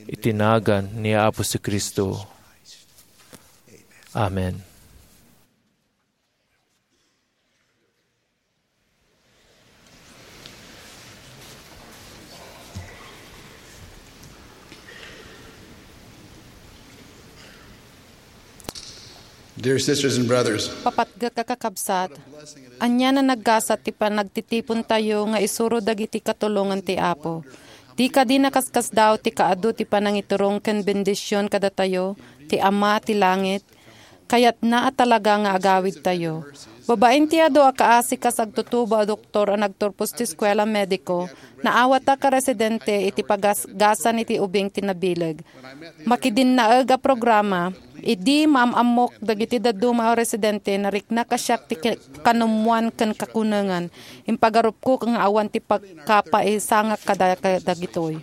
iti nagan ni Apo Jesu-Cristo. Amen. Dear sisters and brothers, Papatgek a kakabsat, ania a naggasat ti panagtitipontayo nga isuro dagiti katulongan ti Apo. Di kadi nakaskasdaaw ti kaadu ti panangiturong ken bendision kadatayo ti Ama ti langit? Kayatna a talaga nga agawidtayo. Babaen ti adu a kaasi kas agtutubo a doktor a nagturpos ti eskuela mediko, naawatak a residente iti pagasgasan iti ubing ti nabileg. Makidinnaeg a programa, idi maam-ammok dagiti dadduma a residente, nariknak a siak ti ki-, kanummoan ken kakunengan. Impagarupko nga awan ti pagkapaisangak kada-, kadagitoy.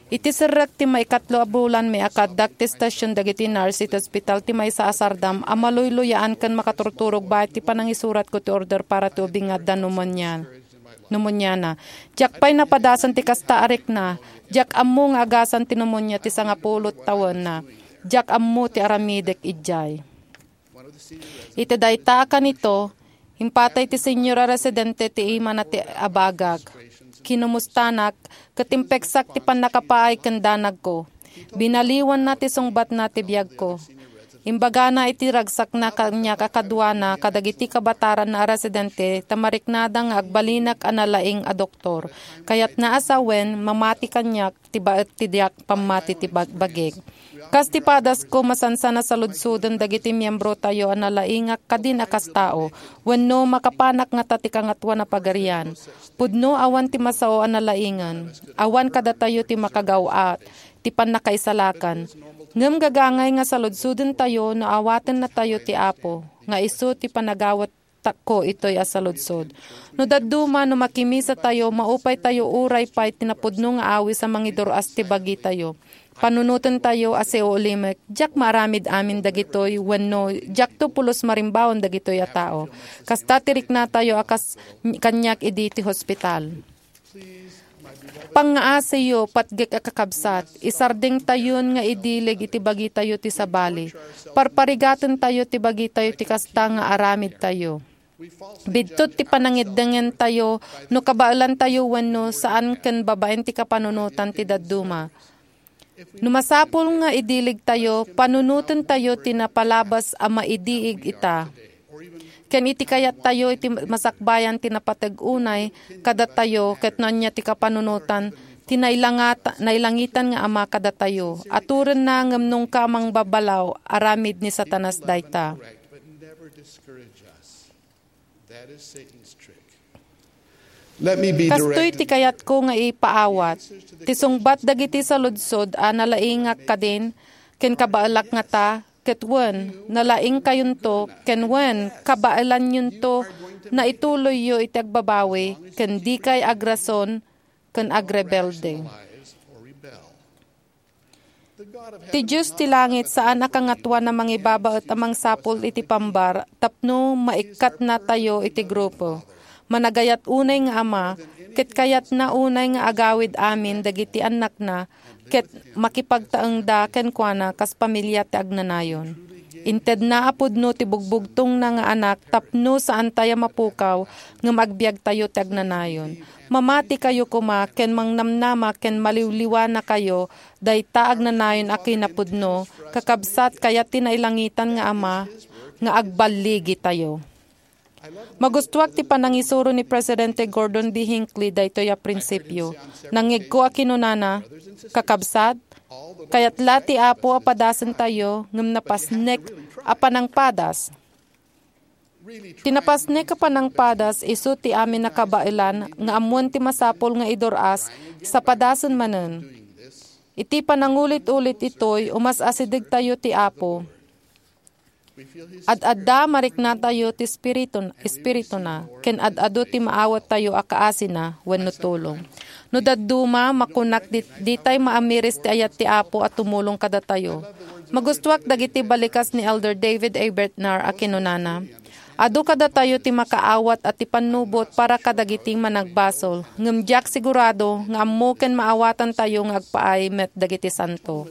Iti serrek ti maikatlo a bulan, mi, kaaddak ti station dagiti nurse iti ospital ti maysa a sardam a maluyluyaan ken makaturturog baet ti panangisuratko ti order para ti ubing nga adda pneumonia. Pneumoniana. Diak pay napadasan ti kasta a rikna. Diak ammo nga agasan ti pneumonia ti sangapulo tawenna. Diak ammo ti aramidek idiay. Iti dayta a kanito, impatay ti senyora residente ti imana ti abagak. Kinumustanak, ket impeksak ti pannakapaay ken danagko. Binaliwanna ti sungbatna ti biagko. Imbagana iti ragsakna kaniak a kaduana kadagiti kabataranna a residente ta mariknada nga agbalinak a nalaing a doktor. Kayatna a sawen, mamati kaniak ti baet ti diak pammati ti bag-, bagik. Kas ti padasko, masansan a saludsoden dagiti miembrotayo a nalaingak kadin a kas tao, wenno makapanak ngata ti Kangatoan a Pagarian. Pudno awan ti masao a nalaingen. Awan kadatayo ti makagaw-at, ti pannakaisalakan. Ngem gagangay nga saludsodentayo no awatennatayo ti Apo, nga isu ti panagawat tako itoy a saludsod. No dadduma, no makimisatayo, maupaytayo uray pay ti napudno nga awis a mangidur-as ti bagitayo. Panunotentayo a siulimek, diak maaramid amin dagitoy wenno diakto pulos marimbawan dagitoy a tao. Kasta ti riknatayo a kas kaniak idi ti hospital. Pangngaasiyo, patgek a kakabsat, isardengtayon nga idileg iti bagitayo ti sabali. Parparigatentayo ti bagitayo ti kasta nga aramidtayo. Biddut ti panangiddengentayo no kabaelantayo wenno saan ken babaen ti kapanunotan ti dadduma. No masapul nga idilegtayo, panunotentayo ti napalabas a maidiig ita. Ken iti kayattayo iti masakbayan ti napateg unay kadatayo ket no ania ti kapanunotan ti nailangata-, nailangitan nga Ama kadatayo. Aturenna ngem nungka mangbabalaw, aramid ni Satanas dayta. Let me be Kastoy direct. Ti kayatko nga ipaawat. Ti sungbat dagiti saludsod a nalaingak kadin, ken kabaelak ngata, ket wen, nalaingkayonto, ken wen, kabaelanyonto, naituloyyo iti agbabawi, ken dikay agrason, ken agrebelde. Ti Dios ti langit saan a Kangatoan a mangibabaet a mangsapul iti pambar tapno maikkatnatayo iti grupo. Managayat unay nga Ama, ket kayatna unay nga agawid amin dagiti annakna ket makipagtaengda kenkuana kas pamilya ti agnanayon. Intedna a pudno ti bugbugtongna nga Anak tapno saantayo a mapukaw ngem agbiagtayo ti agnanayon. Mamatikayo koma ken mangnamnama ken maliwliwanakayo dayta agnanayon a kinapudno, kakabsat, kayat ti nailangitan nga Ama nga agballigitayo. Magustuak ti panangisuro ni Presidente Gordon B. Hinckley daytoy a prinsipio. Nangngegko a kinunana, "Kakabsat, kayat la ti Apo a padasentayo ngem napasnek a panangpadas." Ti napasnek a panangpadas isu ti amin a kabaelan nga ammuen ti masapul nga idur-as sa padasen manen. Iti panangulit-ulit itoy, umas-asidegtayo ti Apo. Ad-adda mariknatayo ti Espiritu-, Espirituna, ken ad-adu ti maawattayo a kaasina wenno tulong. No dadduma, makunak di-, ditay maamiris ti ayat ti Apo a tumulong kadatayo. Magustuak dagiti balikas ni Elder David A. Bednar a kinunana, "Adu kadatayo ti makaawat a ti pannubot para kadagiti managbasol, ngem diak sigurado nga ammo ken maawatantayo nga agpaay met dagiti santo."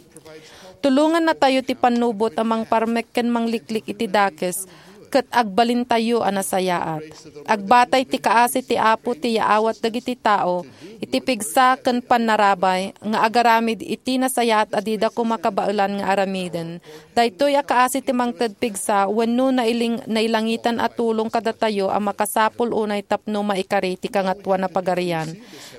Tulongannatayo ti pannubot a mangparmek ken mangliklik iti dakes, ket agbalintayo a nasayaat. Agbatay ti kaasi ti Apo ti yaawat dagiti tao iti pigsa ken pannarabay nga agaramid iti nasayaat a dida koma kabaelan nga aramiden. Daytoy a kaasi ti mangted pigsa wenno nailing-, nailangitan a tulong kadatayo a makasapul unay tapno maikari ti Kangatoan a Pagarian.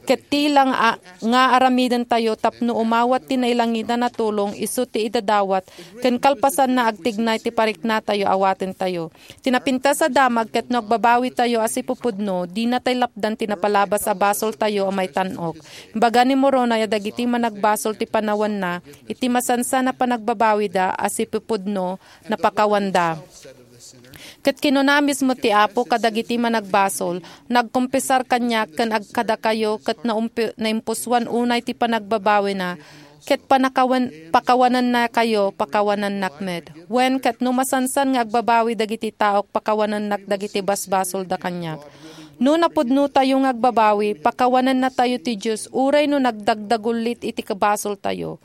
Ket ti lang a-, nga aramidentayo tapno umawat ti nailangitan a tulong isu ti idadawat ken kalpasanna agtignay ti pariknatayo awatentayo. Ti napintas a damag ket no agbabawitayo a sipupudno, dinatay lapdan ti napalabas a basoltayo a maitan-ok. Imbaga ni Moroni a dagiti managbasol ti panawanna iti masansan a panagbabawida a sipupudno, napakawanda. Ket kinuna mismo ti Apo kadagiti managbasol, "Nagkumpisar kaniak ken ag-, kadakayo ket naumpi-, naimpusuan unay ti panagbabawina, ket panakawan-, pakawanennakayo, pakawanennak met. Wen, ket no masansan nga agbabawi dagiti taok, pakawanennak dagiti basbasolda kaniak." No napudnotayo nga agbabawi, pakawanennatayo ti Dios uray no nagdagdagullit iti kabasoltayo.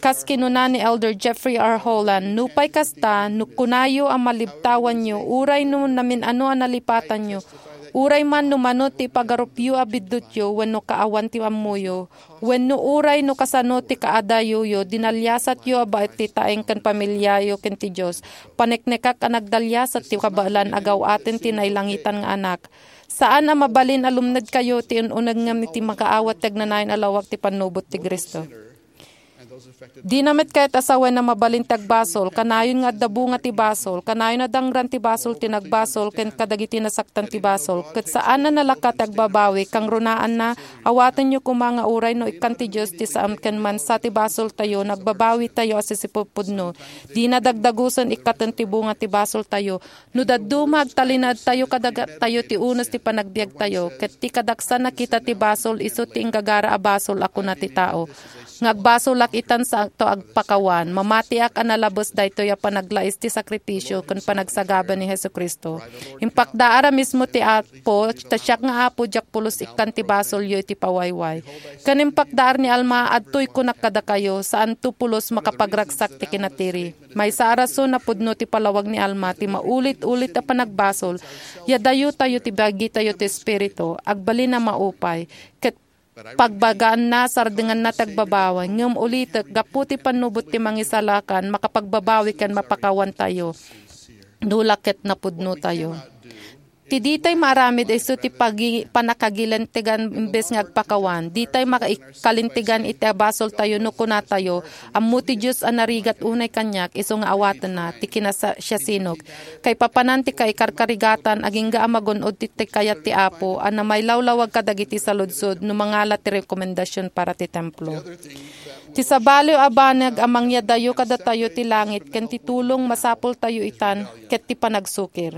Kas kinuna ni Elder Jeffrey R. Holland, "Nupay kasta, no kunayo a malibtawanyo, uray no namin-ano a nalipatanyo, uray man no mano ti ipagarupyo a biddutyo wenno kaawan ti ammoyo, wenno uray no kasano ti kaadayoyo, dinaliasatyo a baet ti taeng ken pamiliayo ken ti Dios, paneknekak a nagdaliasat ti kabaelan a gaw-aten ti nailangitan nga Anak. Saan a mabalin a lumnedkayo ti un-uneg ngem iti makaawat ti agnanayon a lawag ti pannubot ti Cristo." Dina met kayat a sawen a mabalin ti agbasol, kanayon nga adda bunga ti basol, kanayon a dangran ti basol ti nagbasol ken kadagiti nasaktan ti basol, ket saan a nalaka ti agbabawi, kangrunaanna, awatenyo koma nga uray no ikkan ti Dios ti saan ken mansa ti basoltayo, nagbabawitayo a sisipupudno. Dina dagdagusen ikkaten ti bunga ti basoltayo. No dadduma, agtalinaedtayo kadatayo ti unos ti panagbiagtayo, ket ti kadaksan a kita ti basol isu ti inggagara a basol a kuna ti tao nga agbasolak itan saanto agpakawan, mamatiak a nalabes daytoy a panaglais ti sakripisio ken panagsagaba ni Jesu-Cristo. Impakdaar a mismo ti Apo, ta siak nga Apo, diak pulos ikkan ti basolyo iti pawayway. Ken impakdaar ni Alma, adtoy kunak kadakayo, saanto pulos makapagragsak ti kinatiri. Maysa a rason a pudno ti palawag ni Alma ti maulit-ulit a panagbasol, ya dayotayo ti bagitayo ti Espiritu, agbalin a maupay, ket pagbagaanna, sardenganna ti agbabawi, ngem ulitek, gapu ti pannubot ti Mangisalakan, makapagbabawi ken mapakawantayo, no la ket napudnotayo. Ti ditay maaramid isu ti pagi-, pannakagilintegan imbes nga agpakawan. Ditay maikalintegan iti basoltayo no kunatayo, "Ammo ti Dios a narigat unay kaniak, isu nga awatenna ti kinasiasino." Kaipapanan ti kaikarkarigatan, agingga a magun-od ti, ti kayat ti Apo a namailawlawag kadagiti saludsod no mangala ti rekomendasyon para ti templo. Ti sabali a banag a mangyadayo kadatayo ti langit ken ti tulong masapultayo itan ket ti panagsukir.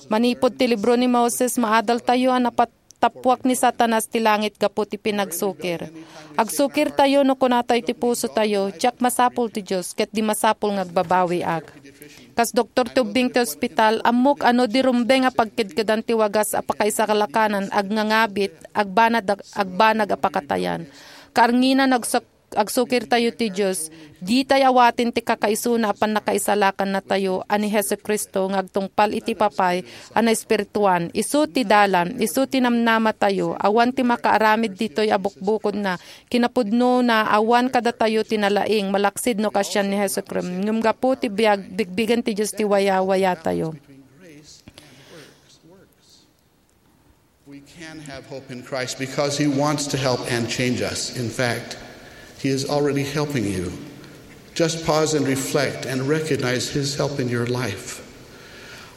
Manipud ti libro ni Moses, maadaltayo a napat-, Natapuak ni Satanas ti langit gapu ti pinagsukir. Agsukirtayo no kunatayo ti pusotayo, "Diak masapul ti Dios, ket di masapul nga agbabawiak." Kas doktor ti ubbing ti ospital, ammok a no di rumbeng a pagkedkedan ti wagas a pakaisakalakanan, agngangabit, agbanag, agbanag a pakatayan. Kaarnginan, agsak-, agsukirtayo ti Dios, ditay awaten ti kakaisuna a pannakaisalakannatayo a ni Jesu-Cristo nga agtungpal iti Papay a naespirituan. Isu ti dalan, isu ti namnamatayo. Awan ti makaaramid ditoy a bukbukodna. Kinapudnona, awan kadatayo ti nalaing, malaksid no kasian ni Jesu-Cristo. Ngem gapu ti biag, bigbigen ti Dios ti wayawayatayo. We can have hope in Christ because He wants to help and change us. In fact, He is already helping you. Just pause and reflect and recognize His help in your life.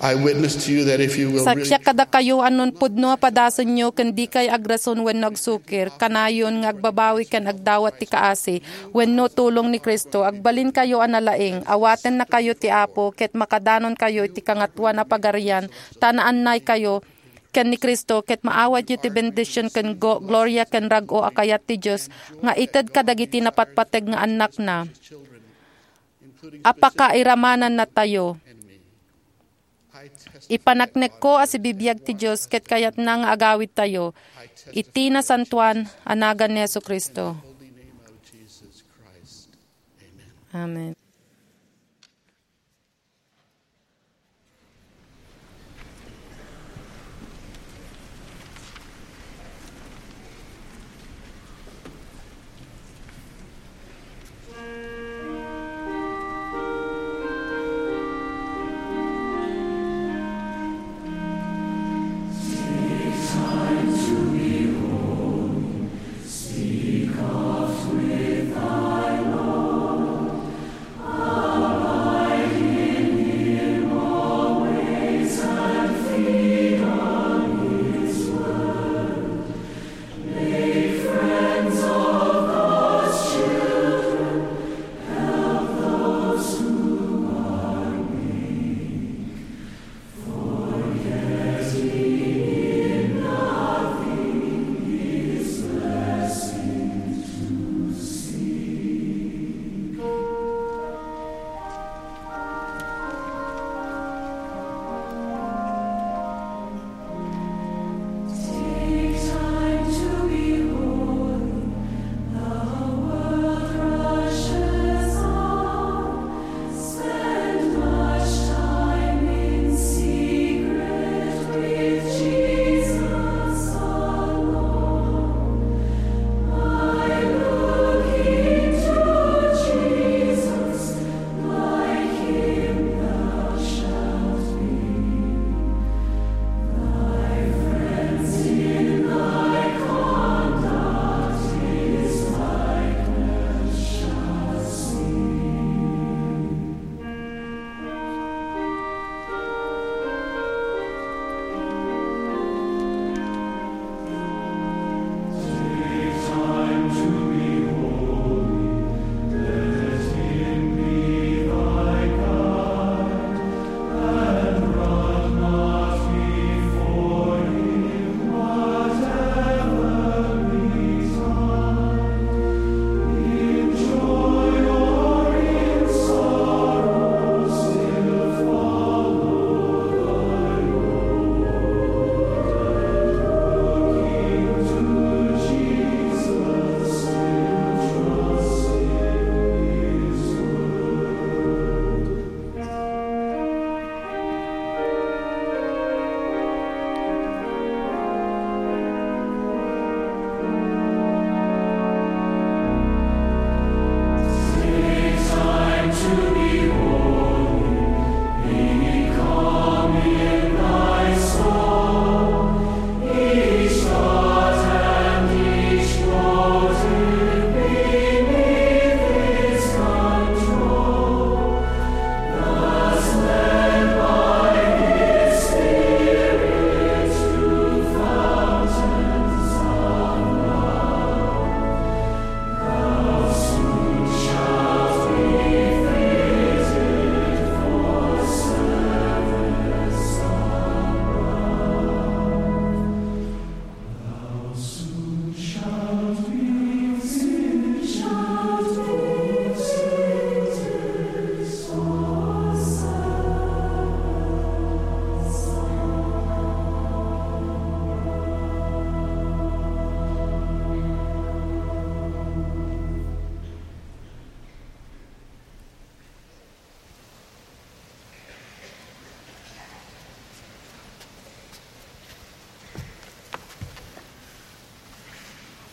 I witness to you that if you will really... Saksiak kadakayo a no pudno a padasenyo ken dikay agrason wenno agsukir, kanayon nga agbabawi ken agdawat ti kaasi wenno tulong ni Cristo, agbalinkayo a nalaing, awatennakayo ti Apo, ket makadanonkayo iti Kangatoan a Pagarian, ta naannaykayo ken ni Cristo, ket maawatyo ti bendision ken go-, gloria ken rag-o a kayat ti Dios nga ited kadagiti napatpateg nga annakna a pakairamanannatayo. Ipaneknekko a sibibiag ti Dios ket kayatna nga agawidtayo iti nasantoan a nagan ni Jesu-Cristo. Amen.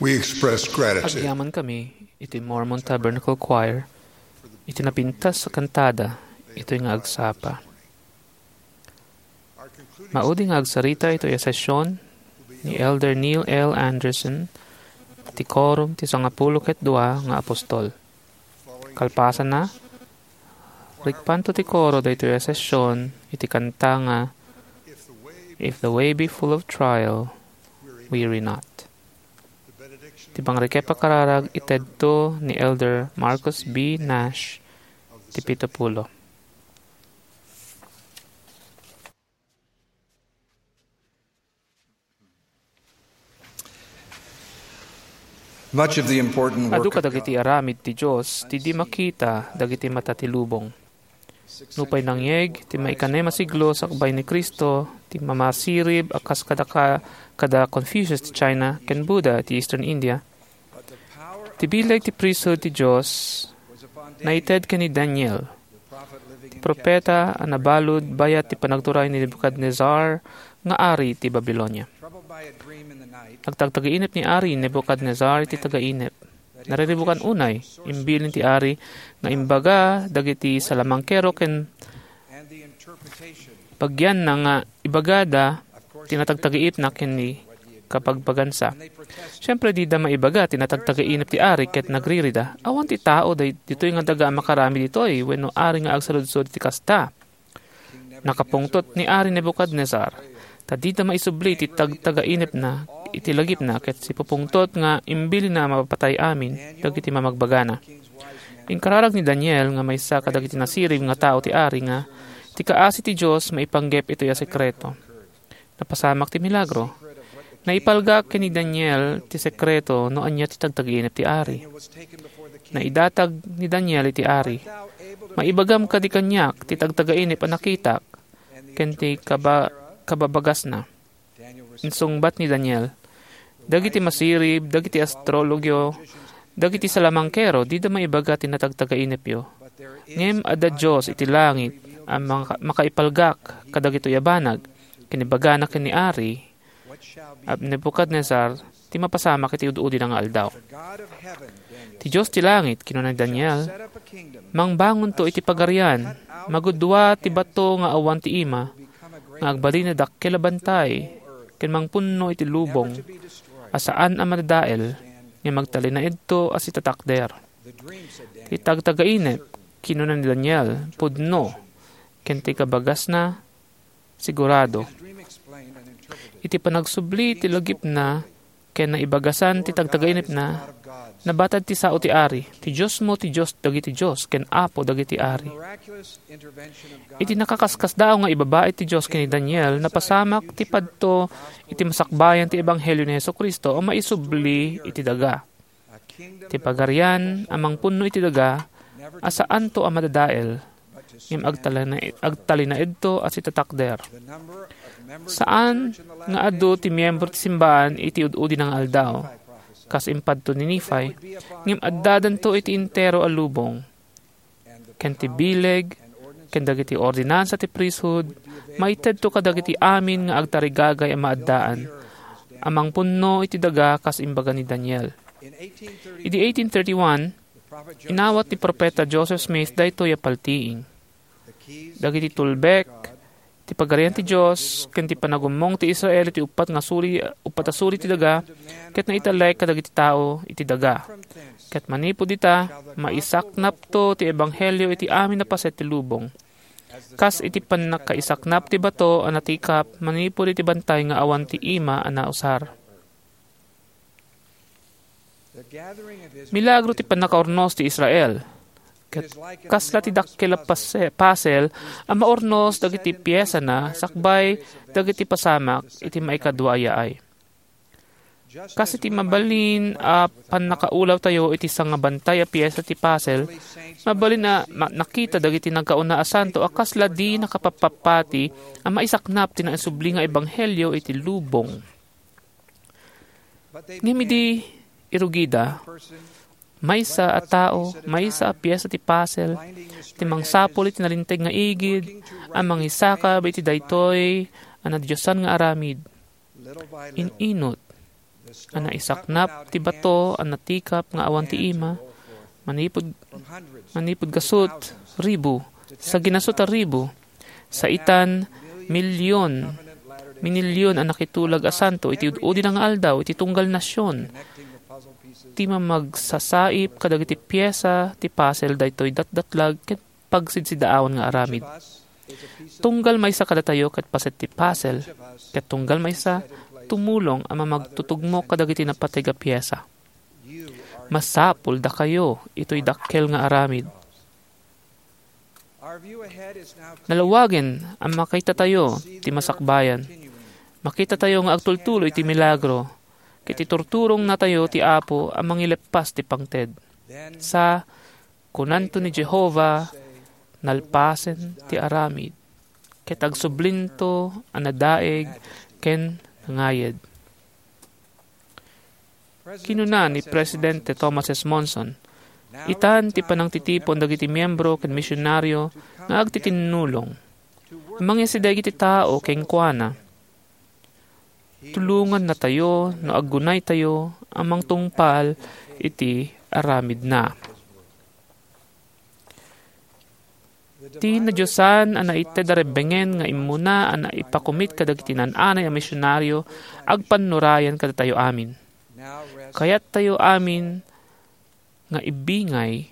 We express gratitude. Agyaman kami iti Mormon Tabernacle Choir iti napintas a kantada, itoy nga agsapa. Maudi nga agsarita itoy a session ni Elder Neil L. Andersen, ti Quorum ti Sangapulo ket Dua nga Apostol. Kalpasanna, rikpanto ti koro daytoy a session iti kanta nga, "If the way be full of trial, weary not." Ti pangrikep a kararag itedto ni Elder Marcus B. Nash, ti pito pulo. Much of the important work Adu of kadagiti God aramid ti Dios ti di makita dagiti mata ti lubong. Nupay nangyeg ti maikanem a siglo sakbay ni Cristo ti mamasirib a kas kada ka-, kada Confucius ti China ken Buddha ti Eastern India, ti bileg ti priesthood ti Dios naited ken ni Daniel, ti profeta a nabalud bayat ti panagturay ni Nebuchadnezzar nga ari ti Babilonia. Nagtagtagiinep ni Ari Nebuchadnezzar iti tagainep. Nariribukan unay, imbilin ti ari nga imbaga dagiti salamangkero ken bagianna nga ibagada ti natagtagiipna ken ni kabagbagansa. Siempre, dida maibaga ti natagtagiinep ti ari ket nagririda. Awan ti tao day-, ditoy nga daga a makaramid ditoy wenno ari nga agsaludsod iti kasta. Nakapungtot ni Ari Nebuchadnezzar, ta dida maisubli ti tagtagainepna iti lagipna ket sipupungtot nga imbilinna a mapapatay amin dagiti mamagbagana. Inkararag ni Daniel nga maysa kadagiti nasirib nga tao ti ari nga ti kaasi ti Dios maipanggep itoy a sekreto. Napasamak ti milagro. Naipalgak ken ni Daniel ti sekreto no ania ti tagtagainep ti ari. Naidatag ni Daniel iti ari. "Maibagam kadi kaniak ti tagtagainep a nakitak ken ti kaba-, kababagasna?" Insungbat ni Daniel, "Dagiti masirib, dagiti astrologyo, dagiti salamangkero, dida maibaga ti natagtagainepyo. Ngem adda Dios iti langit a maka-, makaipalgak kadagitoy a banag." Kinibagana ken ni Ari, Ab-, Nebuchadnezzar, ti mapasamak iti ud-udina nga aldaw. "Ti Dios ti langit," kinuna ni Daniel, "mangbangonto iti pagarian, magudua ti bato nga awan ti ima, nga agbalin a dakkel a bantay, ken mangpunno iti lubong a saan a madadael, ngem agtalinaedto a sitatakder." "Ti tagtagainep," kinuna ni Daniel, "pudno, ken ti kabagasna, sigurado." Iti panagsubli ti lagipna ken naibagasan ti tagtagainepna, nabatad ti sao ti ari, "Ti Diosmo ti Dios dagiti dios ken Apo dagiti ari." Iti nakaskasdaaw nga ibabaet ti Dios ken ni Daniel, napasamak ti padto iti masakbayan ti ebanghelio ni Jesu-Cristo a maisubli iti daga. Ti pagarian a mangpunno iti daga a saanto a madadael, ngem agtalina-, agtalinaedto a sitatakder. Saan nga adu ti miembro ti simbaan iti ud-udina nga aldaw, kas impadto ni Nephi, ngem addadanto iti entero a lubong. Ken ti bileg ken dagiti ordinansa ti priesthood maitedto kadagiti amin nga agtarigagay a maaddaan a mangpunno iti daga, kas imbaga ni Daniel. Idi eighteen thirty-one, inawat ni Profeta Joseph Smith daytoy a paltiing. Dagiti tulbek ti Pagarian ti Dios ken ti panagummong ti Israel iti uppat nga suri, uppat a suri ti daga, ket naitalek kadagiti tao iti daga. Ket manipud ita, maisaknapto ti ebanghelio iti amin a paset ti lubong. Kas iti pannakaisaknap ti bato a natikap manipud iti bantay nga awan ti ima a nausar. Milagro ti pannakaurnos ti Israel. Ket kasla ti dakkel a pase-, pasel a maurnos dagiti piesana sakbay dagiti pasamak iti maikadua a yaay. Kas iti mabalin a pannakaulawtayo iti sangabantay a piesa ti pasel, mabalin a ma-, nakita dagiti nagkauna a santo a kasla di nakapappapati a maisaknap ti naisubli nga ebanghelio iti lubong. Ngem idi irugida, maysa a tao, maysa a piesa ti pasel, ti mangsapul iti nalinteg nga igid a mangisakab iti daytoy a nadiosan nga aramid. In-inut, a naisaknap ti bato a natikap nga awan ti ima, manipud, manipud gasut ribu, sa ginasut a ribu, sa itan milyon, minilyon a nakitulag a santo iti ud-udi na nga aldaw iti tunggal nasion, ti mamagsasaip kadagiti piesa ti puzzle daytoy datdatlag ket pagsidsidaawan nga aramid. Tunggal maysa kadatayo ket paset ti puzzle, ket tunggal maysa tumulong a mamagtutugmo kadagiti napateg a piesa. Masapul dakayo itoy dakkel nga aramid. Nalawagen a makitatayo ti masakbayan. Makitatayo nga agtultuloy ti milagro, ket iturturongnatayo ti Apo a mangileppas ti pangted. Sa kunanto ni Jehovah, "Nalpasen ti aramid, ket agsublinto a nadaig ken nangayed." Kinuna ni Presidente Thomas S. Monson, "Itan ti panangtitipon dagiti miyembro ken misionario nga agtitinnulong. Mangisida iti tao kenkuana. Tulongannatayo no aggunaytayo a mangtungpal iti aramidna." Ti nadiosan a naited a rebbengen nga immuna a naipakumit kadagiti naan-anay a misionario agpannurayan kadatayo amin. Kayattayo amin nga ibingay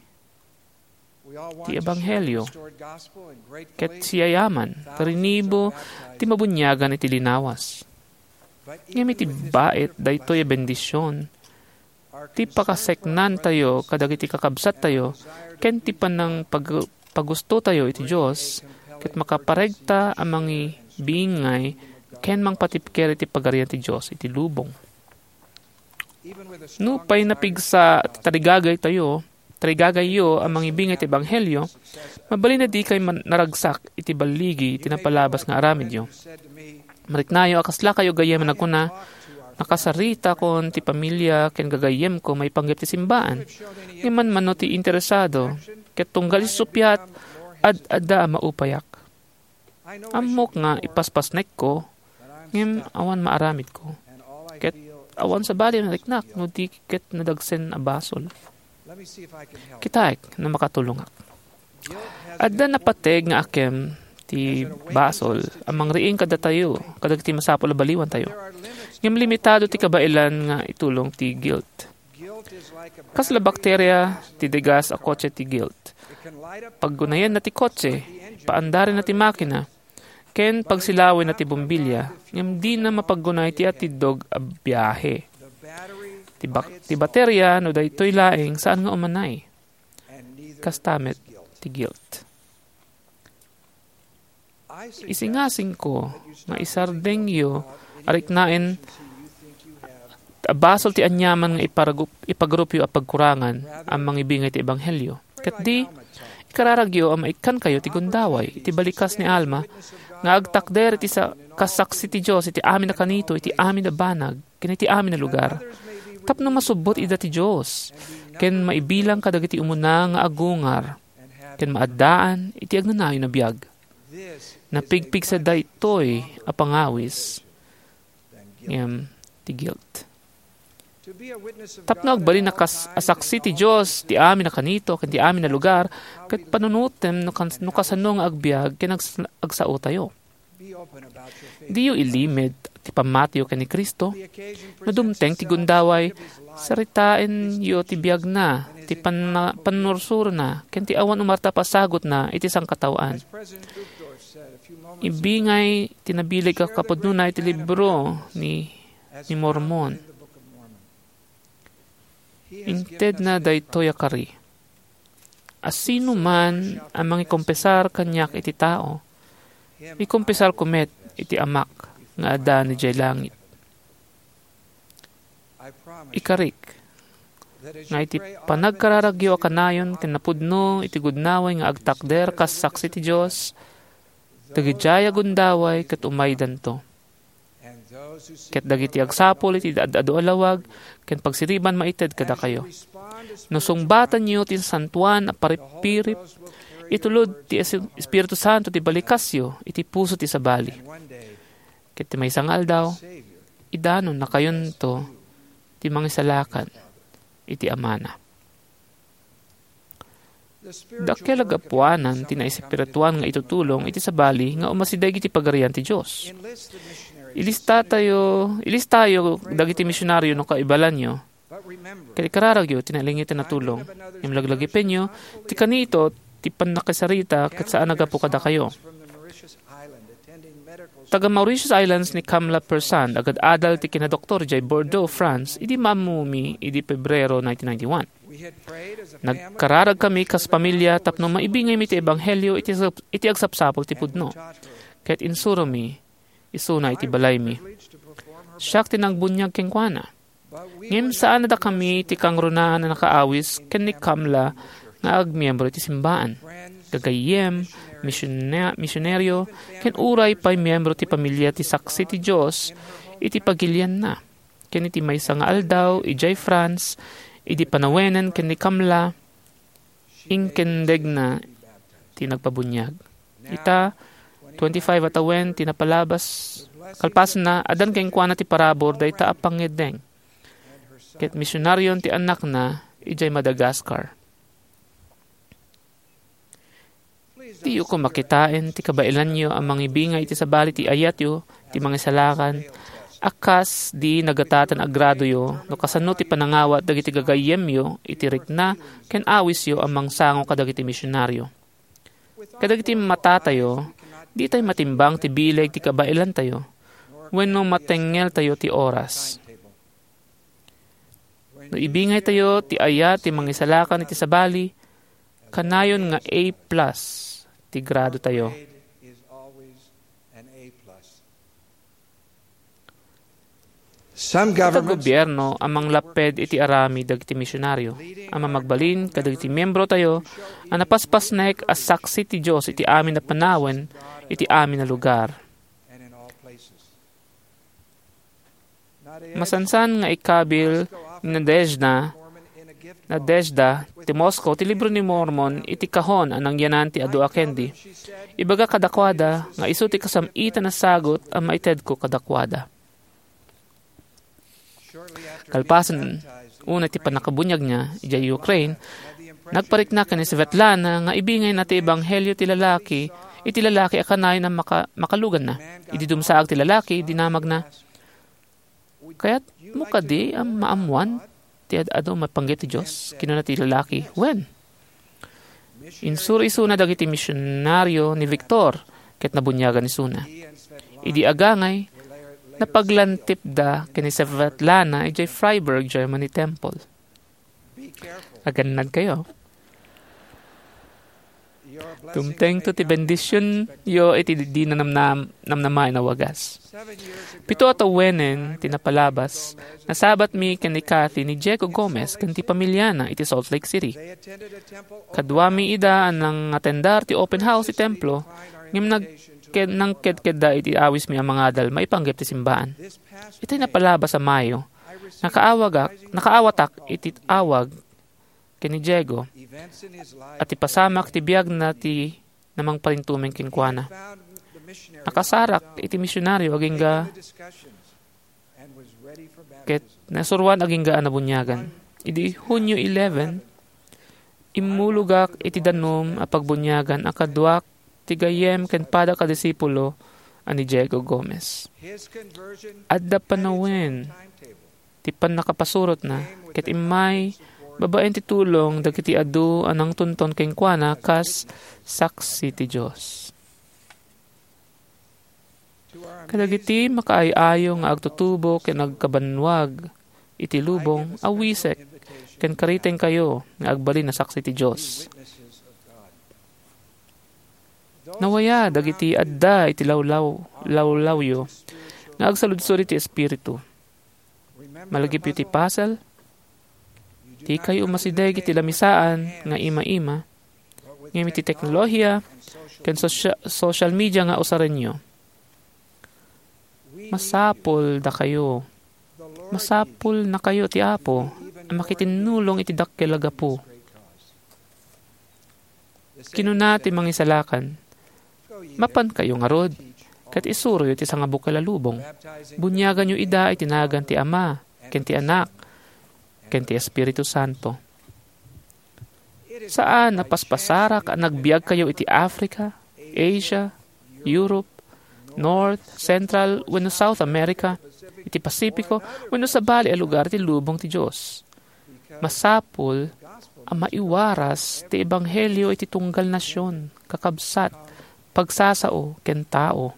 ti ebanghelio ket siyayaman, rinibo ti mabuniagan iti linawas. Ngem iti bait daytoy a bendision, ti pakaseknantayo kadagiti kakabsattayo ken ti panangpag-, pagustotayo iti Dios, ket makaparegta a mangibingay ken mangpatipker iti Pagarian ti Dios iti lubong. Nupay napigsa ti tarigagaytayo, tarigagayyo a mangibingay ti ebanghelio, mabalin a dikay man-, naragsak iti balligi ti napalabas nga aramidyo. Mariknayo a kaslakayo gayyem a nagkuna, "Nakasaritakon ti pamilya ken gagayyemko maipanggep ti simbaan." Ngem manmano ti interesado, ket tunggal iti suppiat, ad-adda a maupayak. Ammok nga ipaspasnekko, ngem awan maaramidko. Ket awan sabali a nariknak no di ket nadagsen a basol. Kitaek no makatulongak. Adda napateg nga akem ti basol a mangriing kadatayo, kadagiti masapul a baliwantayo. Ngem limitado ti kabaelan nga itulong ti guilt. Kasla bakteria ti degas a kotse ti guilt. Paggunayenna ti kotse, paandarenna ti makina, ken pagsilawenna ti bombilya, ngem dina mapaggunay ti atiddog a biahe. Ti bak-, ti bateria no daytoy laeng saan nga umanay. Kasta met ti guilt. Isingasingko nga isardengyo a riknaen a basol ti aniaman nga iparagup-, ipagarupyo a pagkurangan a mangibingay ti ebanghelio. Ket di, ikararagyo a maikkankayo ti gundaway iti balikas ni Alma nga agtakder iti sa-, kasaksi ti Dios iti amin a kanito, iti amin a banag, ken iti amin a lugar. Tapno masubbot ida ti Dios, ken maibilang kadagiti umuna nga agungar, ken maaddaan iti agnanayon a biag. Napigpigsa daytoy a pangawis, ngem ti guilt. Tapno agbalin a kas-, a saksi ti Dios ti amin a kanito ken ti amin a lugar, ket panunotem no kan-, no kasano nga agbiag ken ags-, agsaotayo. Diyo ilimed ti pammatiyo ken ni Cristo. No dumteng ti gundaway, saritaenyo ti biagna, ti panna-, pannursurona, ken ti awan umarta a pasagutna iti sangkataoan. Ibingay ti nabileg a kapudnona iti libro ni, ni Mormon. Intedna daytoy a kari. A sino man a mangikompesar kaniak iti tao, ikompesarko met iti Amak nga adda idiay langit. Ikarik, nga iti panagkararagyo a kanayon ken napudno iti gundaway nga agtakder kas saksi ti Dios, dagidiay a gundaway ket umaydanto. Ket dagiti agsapul iti ad-adu a lawag ken pagsiriban maited kadakayo. No sungbatanyo ti santoan a paripirip, itulod ti Es-, Espiritu Santo ti balikasyo iti puso ti sabali. Ket ti maysa nga aldaw, idanonnakayonto ti mangisalakan iti amana. Dakkel a gapuanan ti naespirituan nga itutulong iti sabali nga umasideg iti Pagarian ti Dios. Ilistatayo, ilistayo dagiti misionario no kaibalanyo, ket ikararagyo ti nailangitan a tulong. Ngem laglagipenyo ti kanito ti pannakasarita ket saan a gapu kadakayo. Taga Mauritius Islands ni Kamla Persand, agad-adal ti kinadoktor idiay Bordeaux, France, idi maammumi idi Pebrero nineteen ninety-one. Nagkararagkami kas pamilia tapno maibingaymi ti ebanghelio iti sap-, iti agsapsapul ti pudno. Ket insuromi isuna iti balaymi. Siak ti nagbuniag kenkuana. Ngem saan a dakami ti kangrunaan a nakaawis ken ni Kamla nga agmiembro iti simbaan. Gagayyem, misiona-, misioneryo, ken uray pay miembro ti pamilia ti Saksi ti Dios iti pagilianna. Ken iti maysa nga aldaw, idiay France, idi panawenen ken ni Kamla, inkendegna ti nagpabuniag. Ita, twenty-five a tawen ti napalabas, kalpasna, addan kenkuana ti parabur dayta a pangngeddeng. Ket misionarion ti annakna idiay Madagascar. Diyo koma kitaen ti kabaelanyo a mangibingay iti sabali ti ayatyo ti mangisalakan a kas di nagatatan a gradoyo no kasano ti panangawat dagiti gagayyemyo iti rikna ken awisyo a mangsango kadagiti misionario. Kadagiti matatayo, ditay matimbang ti bileg ti kabaelantayo wenno matengngeltayo ti oras. No ibingaytayo ti ayat ti mangisalakan iti sabali, kanayon nga A plus ti gradotayo. Some Ita governments gobierno a manglapped iti aramid dagiti misionaryo, a mamagbalin kadagiti miembrotayo a napaspasnek a saksi ti Dios iti amin a panawen, iti amin a lugar. Masansan nga ikabil ni Nadezhda, Nadezhda ti Moscow ti Libro ni Mormon iti kahon a nangyanan ti adu a kendi. Ibaga kadakuada nga isu ti kasam-itan a sagut a maitedko kadakuada. Kalpasan, unay ti pannakabuniagna idiay Ukraine, nagparikna ken ni Svetlana nga ibingayna ti ebanghelio ti lalaki, iti lalaki a kanayon a maka-, makaluganna. Idi dumsaag ti lalaki, dinamagna, "Kayatmo kadi a maammoan ti ad-adu a maipanggep ti Dios?" Kinuna ti lalaki, "Wen." Insuro isuna dagiti misionario ni Victor ket nabuniagan isuna. Idi agangay, napaglantipda ken ni Svetlana idiay Freiburg Germany Temple. Agannadkayo. Dumtengto ti bendisionyo iti di namnam-, namnamaen a wagas. Pito a tawenen ti napalabas, nasabatmi ken ni Kathy ni Diego Gomez ken ti pamiliana iti Salt Lake City. Kaduami ida a nangatendar ti open house ti templo, ngem nagked-, nangkedkedda iti awismi a mangadal maipanggep ti simbaan. Iti napalabas a Mayo, nakaawagak, nakaawatak iti awag ken ni Diego, a ti pasamak ti biagna ti namangparintumeng kenkuana. Nakasarak iti misionario agingga ket nasuroan agingga a nabuniagan. Idi Hunyo eleven, immulogak iti danum a pagbuniagan a kaduak ti gayyem ken padak a disipulo a ni Diego Gomez. Adda panawen ti pannakapasurotna, ket immay babaen ti tulong dagiti adu a nangtunton kenkuana kas saksi ti Dios. Kadagiti makaay-ayo nga agtutubo ken agkabannuag iti lubong, awisek ken karitengkayo nga agbalin a saksi ti Dios. Nawaya dagiti adda iti lawlaw-, lawlawyo nga agsaludsod iti Espiritu. Malagipyo ti pasel, dikay umasideg iti lamisaan nga ima-ima, ngem iti teknolohiya ken sosya-, social media nga usarenyo. Masapul dakayo. Masapul nakayo ti Apo a makitinnulong iti dakkel a gapu. Kinuna ti Mangisalakan, "Mapankayo ngarud, ket isuroyo ti sangabukel a lubong. Buniaganyo ida iti nagan ti Ama, ken ti Anak, ken ti Espiritu Santo. Saan a paspasarak a nagbiagkayo iti Africa, Asia, Europe, North, Central, wenno South America, iti Pacifico, wenno sabali a lugar ti lubong ti Dios. Masapul a maiwaras ti ebanghelio iti tunggal nasion, kakabsat, pagsasao, ken tao.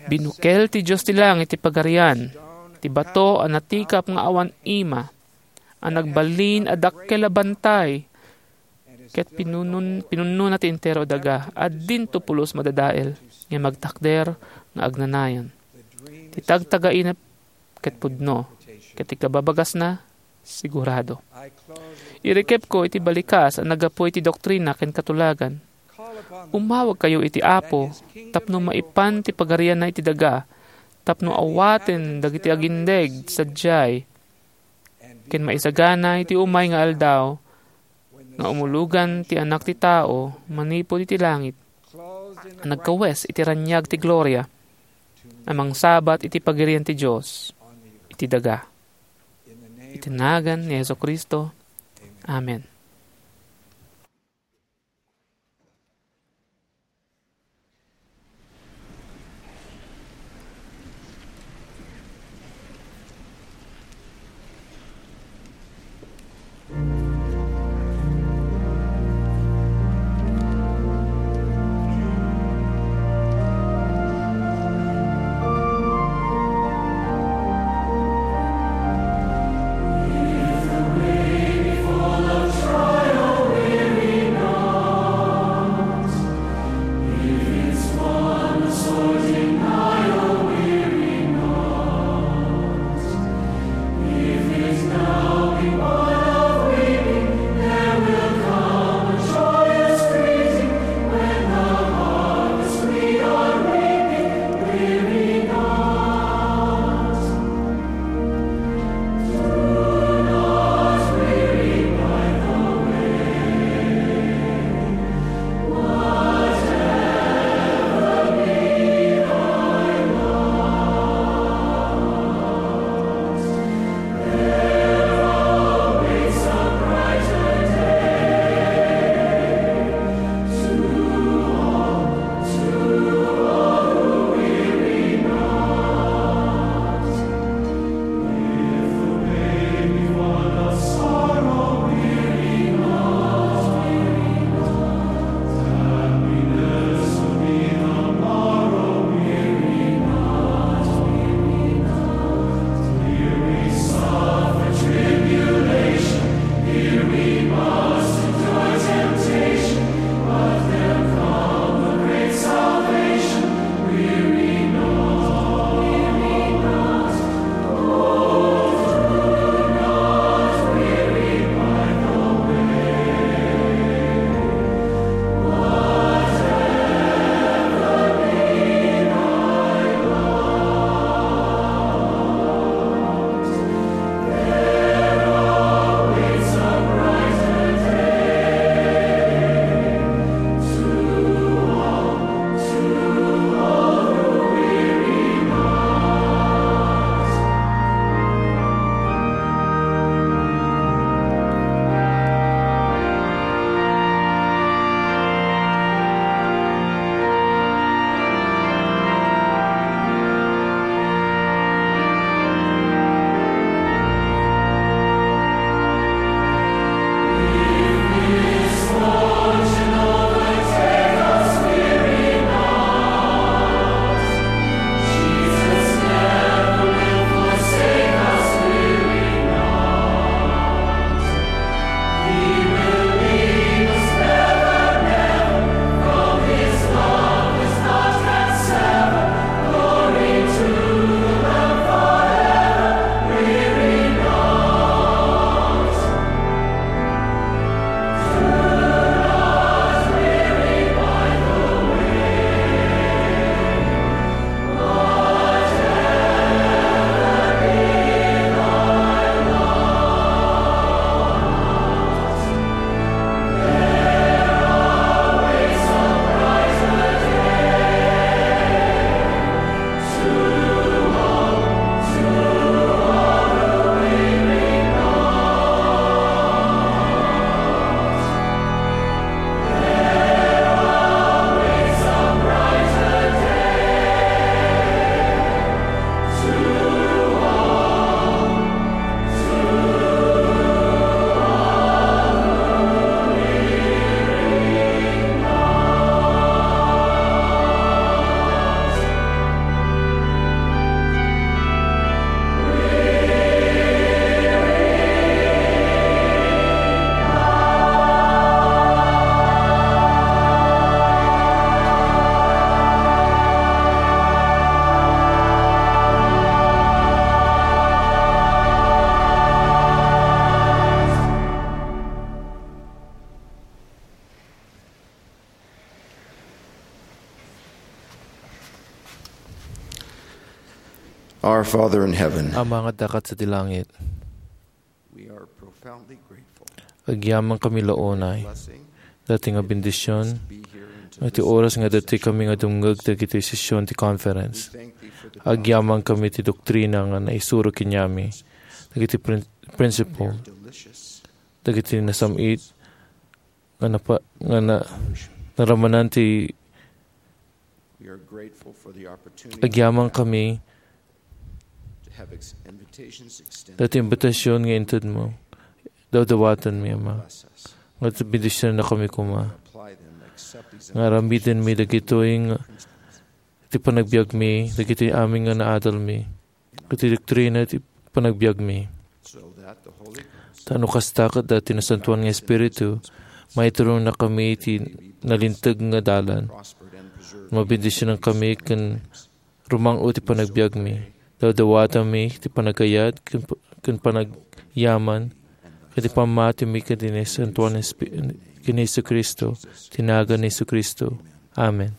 Binukel ti Dios ti langit ti pagarian, ti bato a natikap nga awan ima, a nagbalin a dakkel a bantay, ket pinunun-, pinunnona ti entero a daga, a dinto pulos madadael, nga magtakder nga agnanayon. Ti tagtagaina ket pudno, ket ti kababagasna, sigurado. Irikepko iti balikas a naggapu iti doktrina ken katulagan. Umawagkayo iti Apo tapno maipan ti pagarianna iti daga, tapno awaten dagiti agindeg sadiay, ken maisagana iti umay nga aldaw nga umulogan ti Anak ti Tao manipud iti langit, a nagkawes iti raniag ti gloria, a mangsabat iti pagirian ti Dios iti daga. Iti nagan ni Jesu-Cristo. Amen. Our Father in heaven, Ama nga adda sadi langit, we are profoundly grateful. Agyamankami la unay. Blessing Daytoy nga bendision, be here and to iti listen oras nga to this daytoy kami nga dumngeg dagiti session ti conference. We thank thee for the Agyamankami ti doktrina nga naisuro kaniami, dagiti prin-, principle, delicious dagiti nasam-it nga napa-, nga na-, naramanan ti We are grateful for the opportunity agyamankami to have ex-, invitations extended daytoy imbitasyon nga intedmo. Dawdawatenmi, Ama. Bless us. Nga bendisionannakami koma. Apply them, accept these Nga aramidenmi dagitoy nga ti panagbiagmi, dagitoy amin nga naadalmi. Iti doktrina ti panagbiagmi. So that the Holy Ghost Ta no kasta, ket daytoy Nasantoan nga Espiritu, maiturongna kami iti nalinteg nga dalan. Prospered and preserved. Mabendisionan kami ken rumang-o ti panagbiagmi. Dawdawatanmi ti panagayat ken, ken panagyaman, ken ti pammatimi ken ti Nasantoan nga Espi-, ken Jesu-Cristo, ti nagan ni Jesu-Cristo. Amen.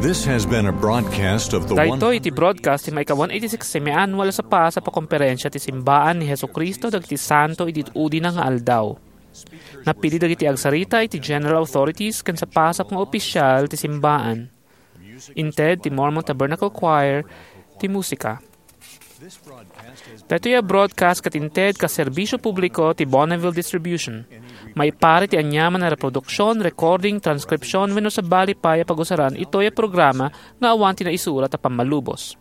This has been a broadcast of the Daytoy iti broadcast ti maika-one eighty-six semi-annual a sapasap a komperensia ti Simbaan ni Jesu-Cristo dagiti Santo idi udina nga aldaw. Napili dagiti agsarita iti general authorities ken sapasap nga opisial ti simbaan. Inted ti Mormon Tabernacle Choir ti musika. Daytoy a broadcast ket inted kas serbisyo publiko ti Bonneville Distribution. Maiparit ti aniaman a reproduksion, recording, transcription, wenno sabali pay a pagusaran itoy a programa nga awan ti naisurat a pammalubos.